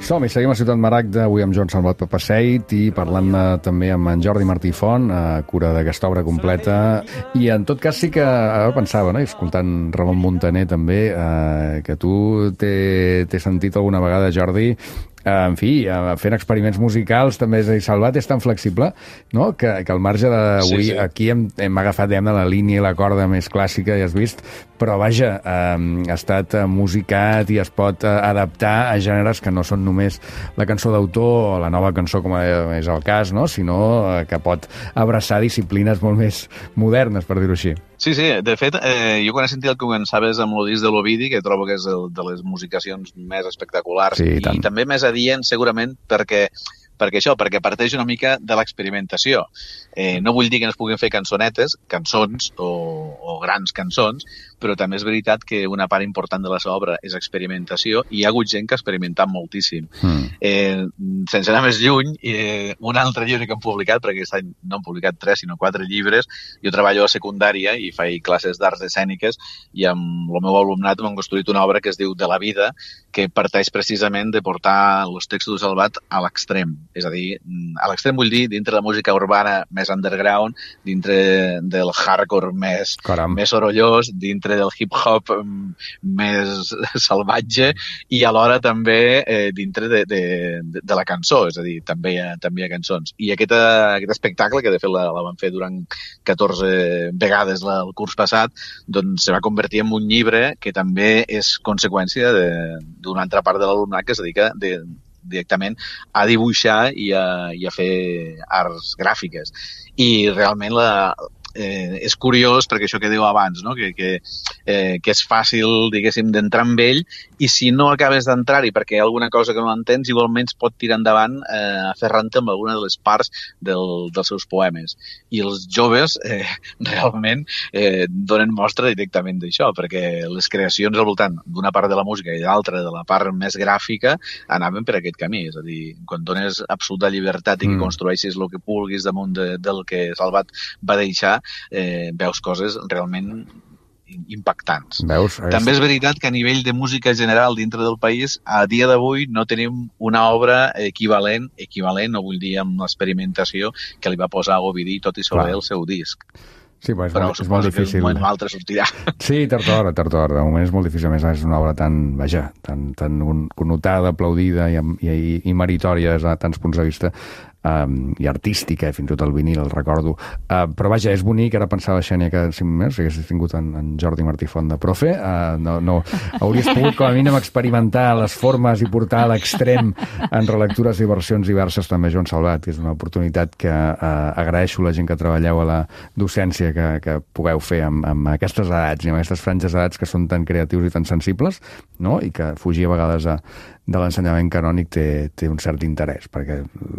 Som i seguim a Ciutat Maragda, avui amb Joan Salvat Papasseit i parlant també amb en Jordi Martí Font, a cura d'aquesta obra completa. I en tot cas sí que ara pensava, no?, escoltant Ramon Muntaner també, eh, que tu t'he sentit alguna vegada, Jordi, en fi, fent experiments musicals també, és a dir, Salvat és tan flexible, no?, que, que al marge d'avui sí, sí. Aquí hem, hem agafat, diguem, la línia i la corda més clàssica, ja has vist, però vaja, eh, ha estat musicat i es pot adaptar a gèneres que no són només la cançó d'autor o la nova cançó, com és el cas, no?, sinó que pot abraçar disciplines molt més modernes, per dir-ho així. Sí, sí, de fet, eh, jo quan he sentit el que començaves amb el disc de l'Ovidi, que trobo que és el, de les musicacions més espectaculars, sí, i, i també més adient segurament perquè, perquè això, perquè parteix una mica de l'experimentació. Eh, no vull dir que no es puguin fer cançonetes, cançons o, o grans cançons, però també és veritat que una part important de la seva obra és experimentació i hi ha hagut gent que ha experimentat moltíssim. Mm. Eh, sense anar més lluny, eh, un altre llibre que han publicat, perquè aquest any no han publicat tres, sinó quatre llibres, jo treballo a secundària i faig classes d'arts escèniques i amb el meu alumnat m'han construït una obra que es diu De la vida, que parteix precisament de portar els textos de Salvat a l'extrem. És a dir, a l'extrem vull dir dintre de la música urbana més underground, dintre del hardcore més, més sorollós, dintre del hip-hop més salvatge i alhora també eh, dintre de, de, de la cançó, és a dir, també hi ha, també hi ha cançons. I aquest, aquest espectacle, que de fet la, la van fer durant catorze vegades la, el curs passat, doncs se va convertir en un llibre que també és conseqüència d'una altra part de l'alumnat que es dedica de, directament a dibuixar i a, i a fer arts gràfiques. I realment la, eh, és curiós perquè això que diu abans, no? que, que, eh, que és fàcil, diguéssim, d'entrar amb ell i si no acabes d'entrar-hi perquè hi ha alguna cosa que no entens, igualment pot tirar endavant eh, aferrant-te amb alguna de les parts del, dels seus poemes. I els joves eh, realment eh, donen mostra directament d'això, perquè les creacions al voltant d'una part de la música i d'altra de la part més gràfica anaven per aquest camí. És a dir, quan dones absoluta llibertat i que mm. construeixis el que vulguis damunt de, del que Salvat va deixar, eh, veus coses realment impactants. Veus? També és veritat que a nivell de música general dintre del país, a dia d'avui no tenim una obra equivalent, equivalent, no vull dir amb l'experimentació, que li va posar a Ovidi tot i sobre el seu disc. Sí, però és, però molt, és molt difícil. Però un moment o altre sortirà. Sí, tard o d'hora, tard o d'hora. De moment és molt difícil. A més, és una obra tan, vaja, tan, tan connotada, aplaudida i, i, i meritòria des de tants punts de vista, um, i artística, fins i tot el vinil, el recordo. Uh, però vaja, és bonic, ara pensava, Xènia, que si més haguessis tingut en, en Jordi Martí Font de profe, uh, no, no, hauries pogut com a mínim experimentar les formes i portar a l'extrem en relectures i versions diverses també, Joan Salvat, que és una oportunitat que uh, agraeixo a la gent que treballeu a la docència que, que pugueu fer amb, amb aquestes edats i amb aquestes franges d'edats que són tan creatius i tan sensibles, no? I que fugir a vegades a, de l'ensenyament canònic té, té un cert interès, perquè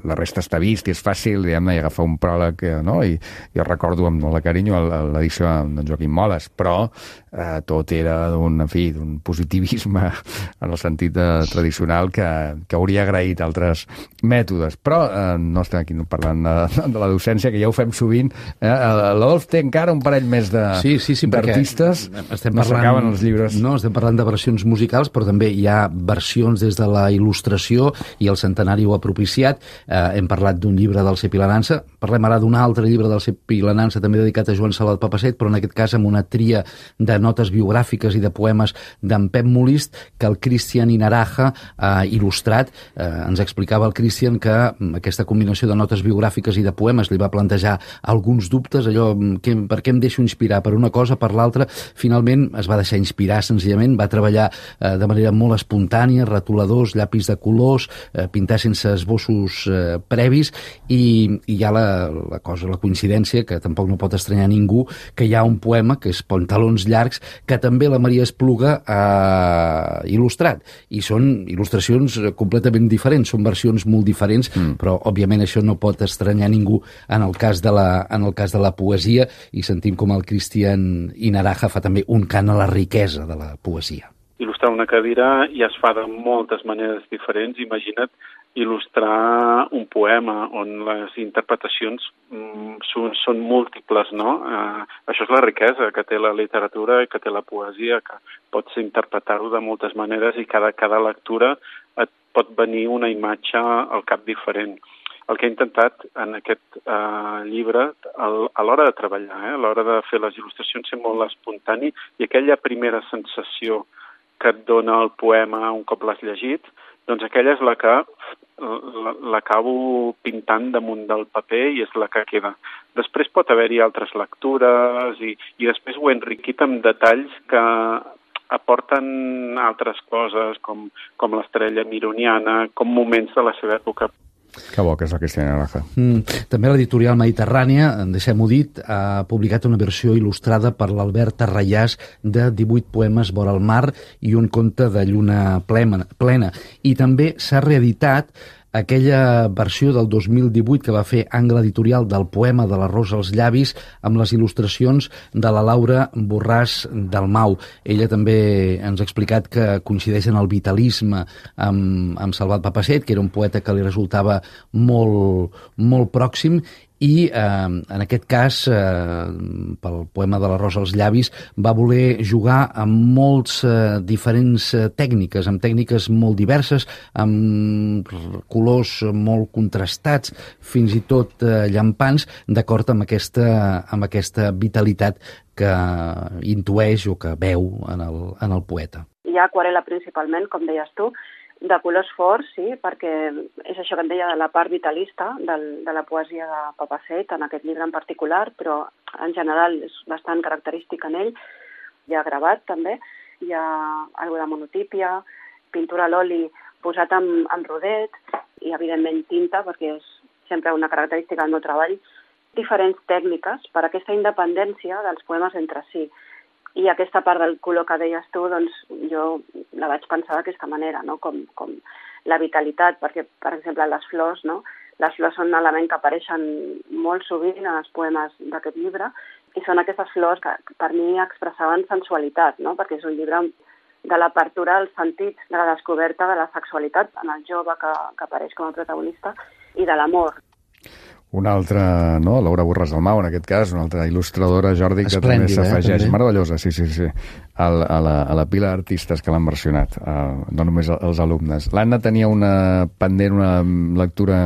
la resta està vist i és fàcil, diguem-ne, i agafar un pròleg, no? I jo recordo amb molt de carinyo l'edició d'en Joaquim Moles, però eh, tot era d'un, en fi, d'un positivisme en el sentit de, tradicional que, que hauria agraït altres mètodes. Però eh, no estem aquí parlant de, de la docència, que ja ho fem sovint. Eh? L'Adolf té encara un parell més de sí, sí, sí, d'artistes, estem no parlant, s'acaben els llibres. No, estem parlant de versions musicals, però també hi ha versions des de la il·lustració, i el centenari ho ha propiciat. Eh, hem parlat d'un llibre del Cep i la Nansa, parlem ara d'un altre llibre del Cep i la Nansa, també dedicat a Joan Salvat Papasseit, però en aquest cas amb una tria de notes biogràfiques i de poemes d'en Pep Molist, que el Cristian Inaraja ha il·lustrat. Eh, ens explicava el Cristian que aquesta combinació de notes biogràfiques i de poemes li va plantejar alguns dubtes, allò, que, per què em deixo inspirar per una cosa, per l'altra. Finalment es va deixar inspirar senzillament, va treballar eh, de manera molt espontània, retoladors, llapis de colors, eh, pintar sense esbossos eh, previs, i, i hi ha la, la cosa, la coincidència, que tampoc no pot estranyar ningú, que hi ha un poema, que és Pantalons llargs, que també la Maria Espluga ha il·lustrat, i són il·lustracions completament diferents, són versions molt diferents, mm. però òbviament això no pot estranyar ningú en el cas de la, en el cas de la poesia, i sentim com el Cristian Inaraja fa també un cant a la riquesa de la poesia. Il·lustrar una cadira ja es fa de moltes maneres diferents. Imagina't il·lustrar un poema on les interpretacions mm, són, són múltiples, no? Eh, això és la riquesa que té la literatura i que té la poesia, que pots interpretar-ho de moltes maneres i cada, cada lectura et pot venir una imatge al cap diferent. El que he intentat en aquest eh, llibre, el, a l'hora de treballar, eh, a l'hora de fer les il·lustracions, ser molt espontani, i aquella primera sensació que et dona el poema un cop l'has llegit, doncs aquella és la que l'acabo pintant damunt del paper i és la que queda. Després pot haver-hi altres lectures i, i després ho he enriquit amb detalls que aporten altres coses, com, com l'estrella mironiana, com moments de la seva època. Que bo que és la Cristina Inaraja. Mm, també l'editorial Mediterrània, deixem-ho dit, ha publicat una versió il·lustrada per l'Albert Tarrayàs de divuit poemes vora el mar i un conte de lluna plena. I també s'ha reeditat aquella versió del dos mil divuit que va fer Angle Editorial del poema de la Rosa als llavis, amb les il·lustracions de la Laura Borràs Dalmau. Ella també ens ha explicat que coincideix en el vitalisme amb, amb Salvat Papasseit, que era un poeta que li resultava molt, molt pròxim, i eh, en aquest cas, eh, pel poema de la Rosa als llavis, va voler jugar amb molts eh, diferents eh, tècniques, amb tècniques molt diverses, amb colors molt contrastats, fins i tot eh, llampants, d'acord amb aquesta, amb aquesta vitalitat que intueix o que veu en el, en el poeta. Hi ha aquarel·la principalment, com deies tu, de colors forts, sí, perquè és això que em deia de la part vitalista del, de la poesia de Papasseit, en aquest llibre en particular, però en general és bastant característic en ell. Hi ha gravat també, hi ha alguna de monotípia, pintura a l'oli posat amb, amb rodet i evidentment tinta, perquè és sempre una característica del meu treball. Diferents tècniques per a aquesta independència dels poemes entre si. I aquesta part del color que deies tu, doncs jo la vaig pensar d'aquesta manera, no? com, com la vitalitat, perquè, per exemple, les flors, no? Les flors són un element que apareixen molt sovint en els poemes d'aquest llibre, i són aquestes flors que per mi expressaven sensualitat, no? Perquè és un llibre de l'apertura als sentits, de la descoberta de la sexualitat en el jove que, que apareix com a protagonista, i de l'amor. Una altra, no? Laura Borràs Dalmau, en aquest cas, una altra il·lustradora, Jordi, que Esplèndida, també s'afegeix. Eh, Meravellosa, sí, sí, sí. Al, a, la, a la pila d'artistes que l'han versionat, uh, no només els alumnes. L'Anna tenia una pendent, una lectura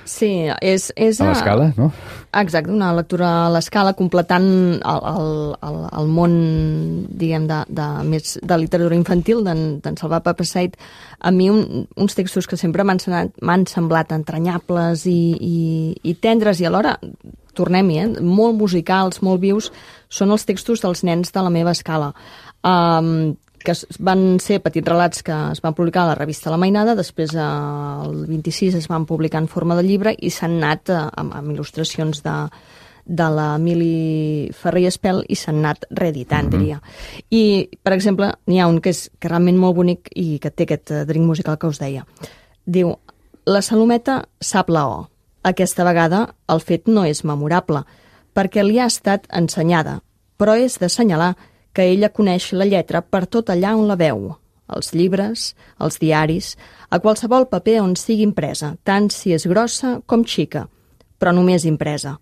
sí, és, és a l'escala, no? Exacte, una lectura a l'escala, completant el, el, el, el món, diguem, de, de, més de literatura infantil, d'en Salvat Papasseit. A mi un, uns textos que sempre m'han semblat entranyables i, i, i tendres, i alhora, tornem-hi, eh, molt musicals, molt vius, són els textos dels nens de la meva escala. Um, que van ser petits relats que es van publicar a la revista La Mainada, després eh, el vint-i-sis es van publicar en forma de llibre i s'han anat eh, amb, amb il·lustracions de, de l'Emili Ferrer i Espel i s'han anat reeditant, mm-hmm. diria. I, per exemple, n'hi ha un que és que realment molt bonic i que té aquest drink musical que us deia. Diu, la Salometa sap la O. Aquesta vegada el fet no és memorable, perquè li ha estat ensenyada, però és d'assenyalar que ella coneix la lletra per tot allà on la veu, els llibres, els diaris, a qualsevol paper on sigui impresa, tant si és grossa com xica, però només impresa.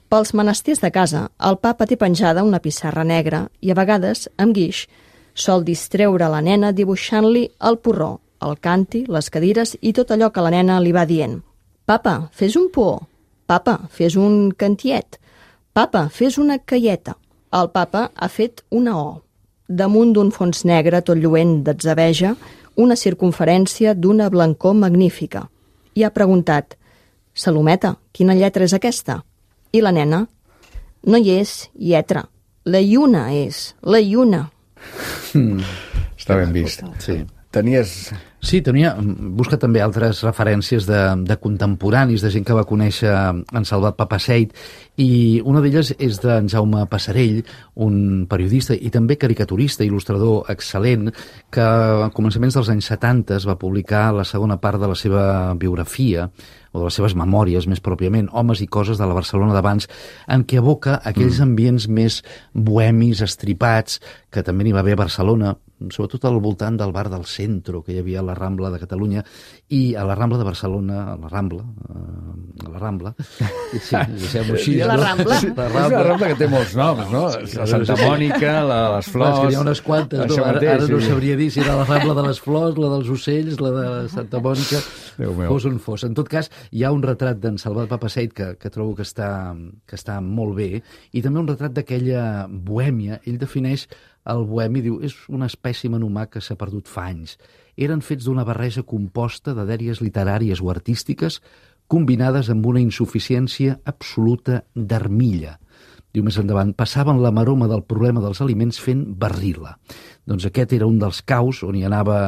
Pels menesters de casa, el papa té penjada una pissarra negra i a vegades, amb guix, sol distreure la nena dibuixant-li el porró, el canti, les cadires i tot allò que la nena li va dient. Papa, fes un por. Papa, fes un cantiet. Papa, fes una caieta. El papa ha fet una O. Damunt d'un fons negre tot lluent d'atzabeja, una circunferència d'una blancor magnífica. I ha preguntat, Salometa, quina lletra és aquesta? I la nena, no hi és lletra, la lluna és, la lluna. Mm. Està ben vist. Sí. Tenies... Sí, tenia, busca també altres referències de, de contemporanis, de gent que va conèixer en Salvat Papasseit, i una d'elles és d'en Jaume Passarell, un periodista i també caricaturista, il·lustrador excel·lent, que a començaments dels anys setanta va publicar la segona part de la seva biografia, o de les seves memòries, més pròpiament, Homes i coses de la Barcelona d'abans, en què evoca aquells ambients més bohemis, estripats, que també n'hi va haver a Barcelona, sobretot al voltant del bar del Centro, que hi havia a la Rambla de Catalunya, i a la Rambla de Barcelona, a la Rambla, a la Rambla, sí, deixem-ho així. La Rambla. Sí, la Rambla. És una Rambla que té molts noms, no? La Santa Mònica, la de les Flors... És que n'hi ha unes quantes, no? Ara, ara no sabria dir si era la Rambla de les Flors, la dels Ocells, la de Santa Mònica, fos on fos. En tot cas, hi ha un retrat d'en Salvat Papasseit que, que trobo que està, que està molt bé, i també un retrat d'aquella bohèmia. Ell defineix el bohemi, diu, és un espècimen humà que s'ha perdut fa anys. Eren fets d'una barreja composta de dèries literàries o artístiques combinades amb una insuficiència absoluta d'armilla. Diu més endavant, passaven la maroma del problema dels aliments fent barril·la. Doncs aquest era un dels caus on hi anava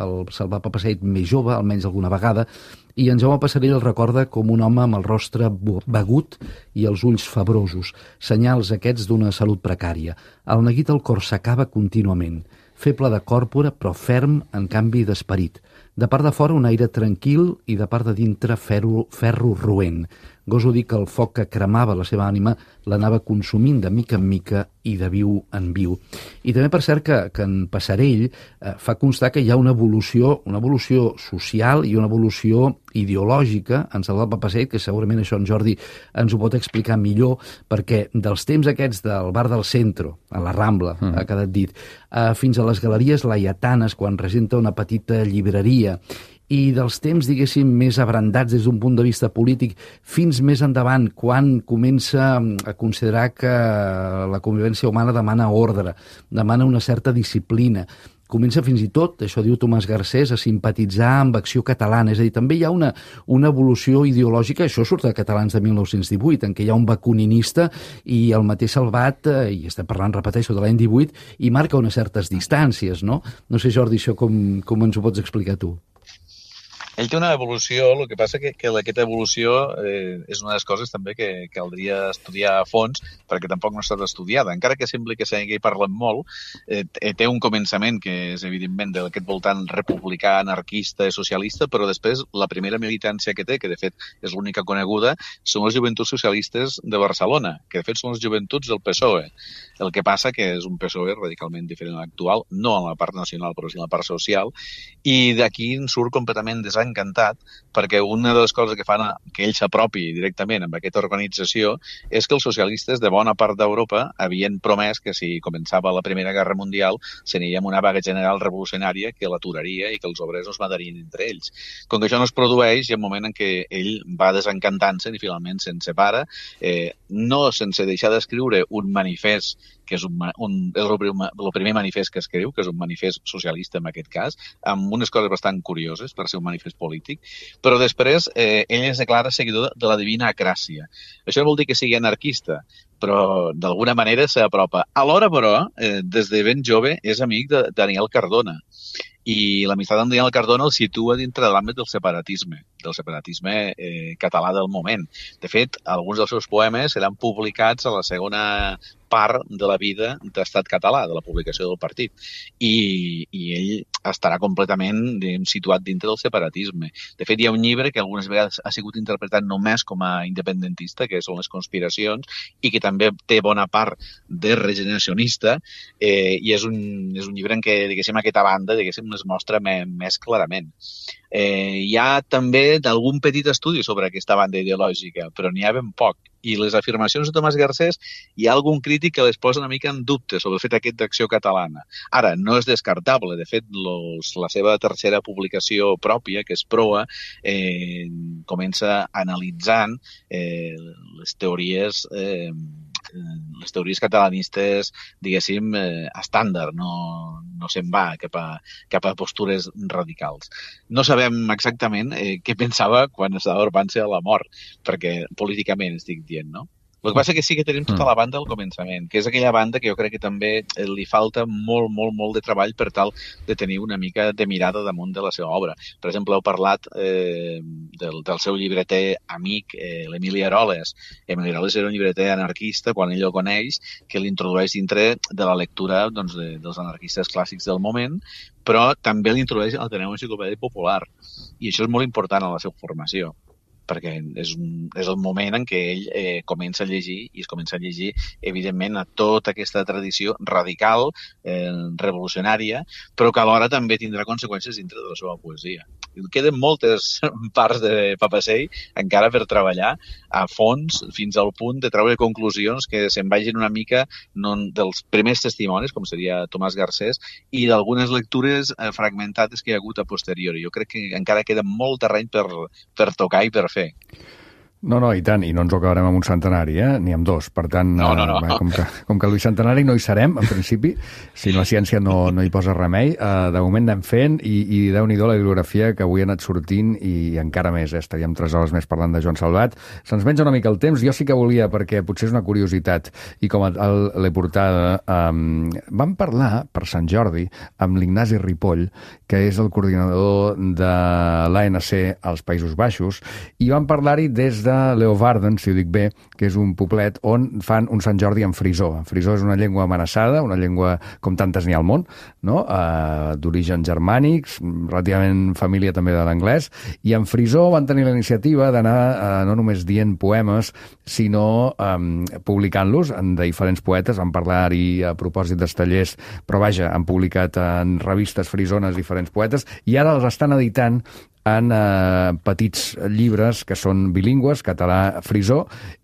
el Salvat Papasseit més jove, almenys alguna vegada, i en Jaume Passarell el recorda com un home amb el rostre begut i els ulls febrosos, senyals aquests d'una salut precària. El neguit al cor s'acaba contínuament, feble de còrpora però ferm en canvi d'esperit. De part de fora un aire tranquil i de part de dintre ferro, ferro roent. Goso dir que el foc que cremava la seva ànima l'anava consumint de mica en mica i de viu en viu. I també per cert que, que en Passarell eh, fa constar que hi ha una evolució, una evolució social i una evolució ideològica en Salvat Papasseit, que segurament això en Jordi ens ho pot explicar millor, perquè dels temps aquests del bar del Centro, a la Rambla, mm. ha quedat dit, eh, fins a les galeries laietanes, quan regenta una petita llibreria, i dels temps, diguéssim, més abrandats des d'un punt de vista polític, fins més endavant, quan comença a considerar que la convivència humana demana ordre, demana una certa disciplina. Comença fins i tot, això diu Tomàs Garcés, a simpatitzar amb Acció Catalana. És a dir, també hi ha una, una evolució ideològica, això surt de Catalans de mil nou-cents divuit, en què hi ha un bakuninista i el mateix Salvat, eh, i estem parlant, repeteixo, de l'any divuit, i marca unes certes distàncies, no? No sé, Jordi, això com, com ens ho pots explicar tu? Ell té una evolució, el que passa que, que aquesta evolució eh, és una de les coses també que caldria estudiar a fons, perquè tampoc no ha estat estudiada. Encara que sembli que s'hagi parlat molt, eh, té un començament que és evidentment d'aquest voltant republicà, anarquista i socialista, però després la primera militància que té, que de fet és l'única coneguda, són les joventuts socialistes de Barcelona, que de fet són les joventuts del P S O E. El que passa que és un P S O E radicalment diferent a l'actual, no en la part nacional, però sí en la part social, i d'aquí en surt completament desany encantat, perquè una de les coses que fan a, que ell s'apropi directament amb aquesta organització és que els socialistes de bona part d'Europa havien promès que si començava la Primera Guerra Mundial s'aniria amb una vaga general revolucionària que l'aturaria i que els obrers es matarien entre ells. Com que això no es produeix, hi ha un moment en què ell va desencantant-se i finalment se'n separa, eh, no sense deixar d'escriure un manifest que és, un, un, és el, primer, el primer manifest que escriu, que és un manifest socialista en aquest cas, amb unes coses bastant curioses per ser un manifest polític, però després eh, ell es declara seguidor de la Divina Acràcia. Això no vol dir que sigui anarquista, però d'alguna manera s'apropa. Alhora, però, eh, des de ben jove és amic de Daniel Cardona, i l'amistat amb Daniel Cardona el situa dintre de l'àmbit del separatisme, del separatisme eh, català del moment. De fet, alguns dels seus poemes seran publicats a la segona part de la vida d'Estat català, de la publicació del partit. I, i ell estarà completament diguem, situat dintre del separatisme. De fet, hi ha un llibre que algunes vegades ha sigut interpretat només com a independentista, que són les conspiracions, i que també té bona part de regeneracionista, eh, i és un, és un llibre en què, diguéssim, aquesta banda, diguéssim, es mostra me, més clarament. Eh, hi ha també d'algun petit estudi sobre aquesta banda ideològica, però n'hi ha ben poc. I les afirmacions de Tomàs Garcés, hi ha algun crític que les posa una mica en dubte sobre el fet aquest d'Acció Catalana. Ara, no és descartable. De fet, los, la seva tercera publicació pròpia, que és Proa, eh, comença analitzant eh, les teories eh, les teories catalanistes, diguéssim, eh, estàndard, no, no se'n va cap a, cap a postures radicals. No sabem exactament eh, què pensava quan estava armant-se a la mort, perquè políticament estic dient, no? El que passa és que sí que tenim tota la banda al començament, que és aquella banda que jo crec que també li falta molt, molt, molt de treball per tal de tenir una mica de mirada damunt de la seva obra. Per exemple, heu parlat eh, del, del seu llibreter amic, eh, l'Emili Aroles. Emili Aroles era un llibreter anarquista, quan ell el coneix, que l'introdueix dintre de la lectura doncs, de, dels anarquistes clàssics del moment, però també l'introdueix a l'Ateneu Enciclopèdia Popular. I això és molt important a la seva formació, perquè és, un, és el moment en què ell eh, comença a llegir, i es comença a llegir, evidentment, a tota aquesta tradició radical, eh, revolucionària, però que alhora també tindrà conseqüències dintre de la seva poesia. Queden moltes parts de Papasseit encara per treballar a fons, fins al punt de treure conclusions que se'n vagin una mica no, dels primers testimonis, com seria Tomàs Garcés, i d'algunes lectures eh, fragmentades que hi ha hagut a posteriori. Jo crec que encara queda molt terreny per, per tocar i per fer. No, no, i tant, i no ens ho acabarem amb un centenari, eh? Ni amb dos. Per tant, no, no, no. Eh, com, que, com que el bicentenari no hi serem, en principi, si la ciència no, no hi posa remei, eh, de moment anem fent, i, i déu-n'hi-do la bibliografia que avui ha anat sortint, i encara més, eh? Estaríem tres hores més parlant de Joan Salvat. Se'ns menja una mica el temps, jo sí que volia, perquè potser és una curiositat, i com l'he portada, eh, vam parlar, per Sant Jordi, amb l'Ignasi Ripoll, que és el coordinador de l'A N C als Països Baixos, i vam parlar-hi des de Leeuwarden, si ho dic bé, que és un poblet on fan un Sant Jordi en frisó. En frisó és una llengua amenaçada, una llengua com tantes n'hi ha al món, no? Uh, d'origen germànics, relativament família també de l'anglès, i en frisó van tenir la iniciativa d'anar uh, no només dient poemes, sinó um, publicant-los en diferents poetes. Van parlar-hi a propòsit dels tallers, però vaja, han publicat en revistes frisones diferents poetes, i ara els estan editant en eh, petits llibres que són bilingües, català-frisó,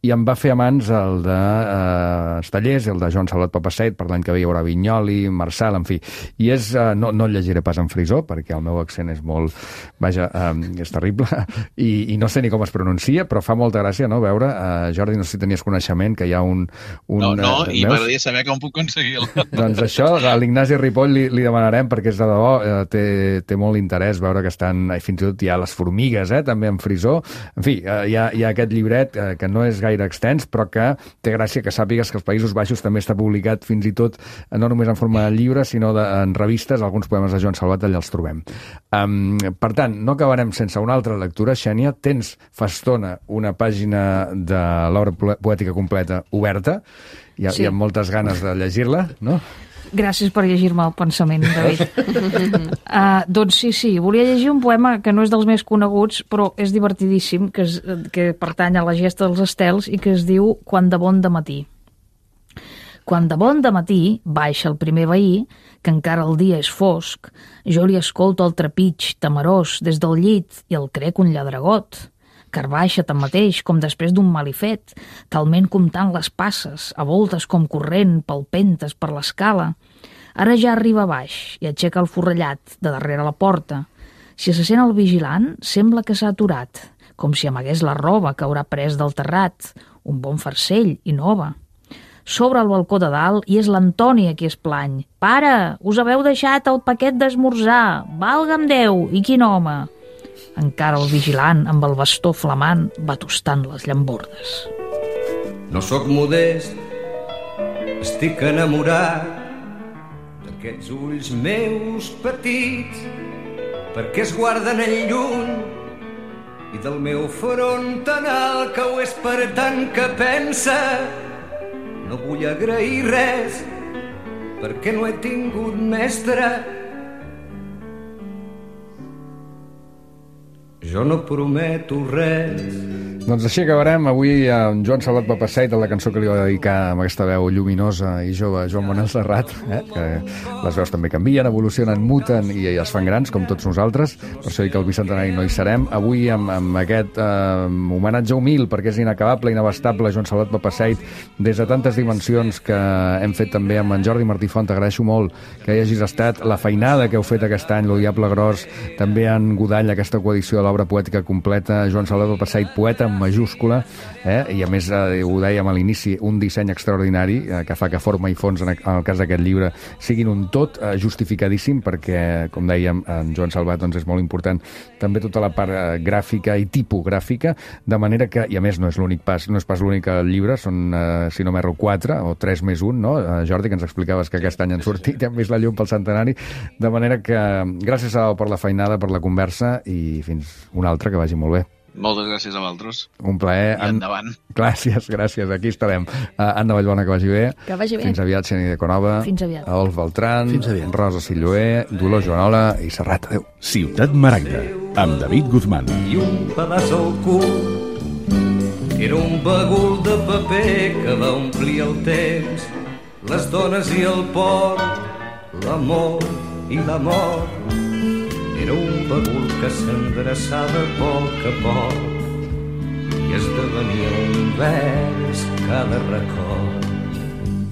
i em va fer a mans el de eh, Estallers, el de Joan Salvat Papasseit, per l'any que ve hi haurà Vinyoli, Marçal, en fi. I és, eh, no, no el llegiré pas en frisó, perquè el meu accent és molt, vaja, eh, és terrible, i, i no sé ni com es pronuncia, però fa molta gràcia, no?, veure, eh, Jordi, no sé si tenies coneixement, que hi ha un... un no, no, eh, i m'agradaria saber com puc aconseguir-lo. Doncs això, a l'Ignasi Ripoll li, li demanarem, perquè és de debò, eh, té, té molt interès veure que estan, eh, fins i tot hi ha les formigues, eh, també en frisó. En fi, eh, hi, ha, hi ha aquest llibret eh, que no és gaire extens, però que té gràcia que sàpigues que als Països Baixos també està publicat fins i tot, no només en forma de llibre, sinó de, en revistes, alguns poemes de Joan Salvat allà els trobem. Um, per tant, no acabarem sense una altra lectura. Xènia, tens fa estona una pàgina de l'obra poètica completa oberta, hi ha, sí. hi ha moltes ganes de llegir-la, no? Gràcies per llegir-me el pensament, David. uh, doncs sí, sí, volia llegir un poema que no és dels més coneguts, però és divertidíssim, que, és, que pertany a la gesta dels estels i que es diu Quan de bon de matí. Quan de bon dematí baixa el primer veí, que encara el dia és fosc, jo li escolto el trepig temerós des del llit i el crec un lladregot, car baixa tanmateix com després d'un malifet, talment comptant les passes, a voltes com corrent, palpentes per l'escala. Ara ja arriba baix i aixeca el forrellat de darrere la porta. Si se sent el vigilant, sembla que s'ha aturat, com si amagués la roba que haurà pres del terrat, un bon farcell i nova. Sobre el balcó de dalt i és l'Antoni a qui es plany. «Pare, us haveu deixat el paquet d'esmorzar! Valga'm Déu! I quin home!» Encara el vigilant, amb el bastó flamant, va tostant les llambordes. No sóc modest, estic enamorat d'aquests ulls meus petits, perquè es guarden en lluny, i del meu front tan alt que ho és per tant que pensa. No vull agrair res, perquè no he tingut mestre. Jo no prometo res. Doncs així acabarem avui amb Joan Salvat Papasseit, la cançó que li va dedicar amb aquesta veu lluminosa i jove Joan Manuel Serrat, eh? Que les veus també canvien, evolucionen, muten i es fan grans, com tots nosaltres. Per això dic que el bicentenari no hi serem. Avui amb, amb aquest eh, homenatge humil, perquè és inacabable, inabastable, Joan Salvat Papasseit, des de tantes dimensions que hem fet també amb en Jordi Martí Font. T'agraeixo molt que hi hagis estat, la feinada que heu fet aquest any, l'O Diable Gros, també en Godall, aquesta coedició de l'obra poètica completa, Joan Salvat Papasseit, poeta en majúscula, eh? I a més eh, ho dèiem a l'inici, un disseny extraordinari eh, que fa que forma i fons en, en el cas d'aquest llibre siguin un tot eh, justificadíssim, perquè, com dèiem, en Joan Salvat doncs és molt important també tota la part eh, gràfica i tipogràfica, de manera que, i a més no és l'únic pas, no és pas l'únic llibre, són, eh, si no m'erro, quatre o tres més un, no? Eh, Jordi, que ens explicaves que aquest any han sortit i han vist la llum pel centenari, de manera que gràcies a, per la feinada, per la conversa i fins una altra, que vagi molt bé. Moltes gràcies a vosaltres. Un plaer. I endavant. Gràcies, gràcies. Aquí estarem. Uh, Anna Vallbona, que vagi bé. Que vagi bé. Fins aviat, Xeni de Conova. Fins aviat. Adolf Beltran. Fins aviat. Rosa Silloé, Dolors Joanola i Serrat. Adéu. Ciutat Maragda, amb David Guzmán. I un pedaç al cul era un bagul de paper que va omplir el temps, les dones i el port, l'amor i la mort. Era un bagul que s'endreçava a poc a poc i esdevenia un vers cada record.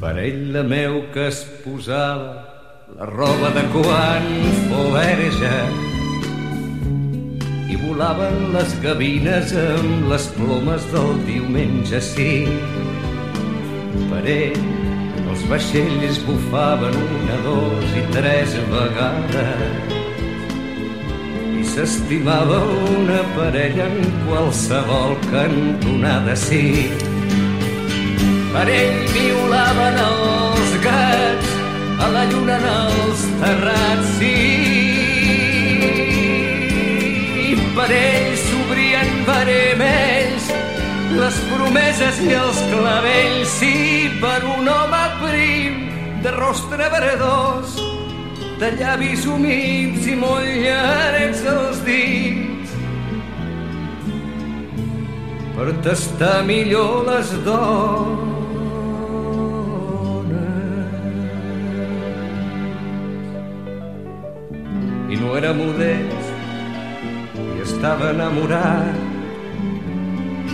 Per ell la meu que es posava la roba de quan fou verge i volaven les gavines amb les plomes del diumenge, sí. Per ell els vaixells bufaven una, dos i tres vegades i s'estimava una parella en qualsevol cantonada, sí. Per ell violaven els gats a la lluna en els terrats, sí. I per ell s'obrien veremells les promeses i els clavells, sí. Per un home prim de rostre verdós, de llavis humits i molt llargs els dits, per tastar millor les dones. I no era modest i estava enamorat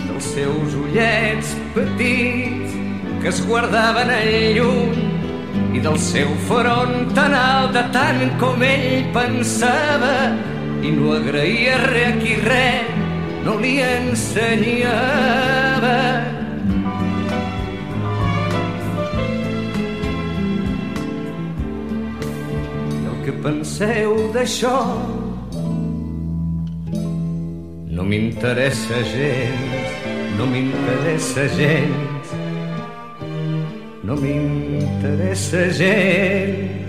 dels seus ullets petits que es guardaven en lluny i del seu front tan alt de tant com ell pensava, i no agraïa res a qui res no li ensenyava. I el que penseu d'això no m'interessa gens, no m'interessa gens, no m'interessa gens.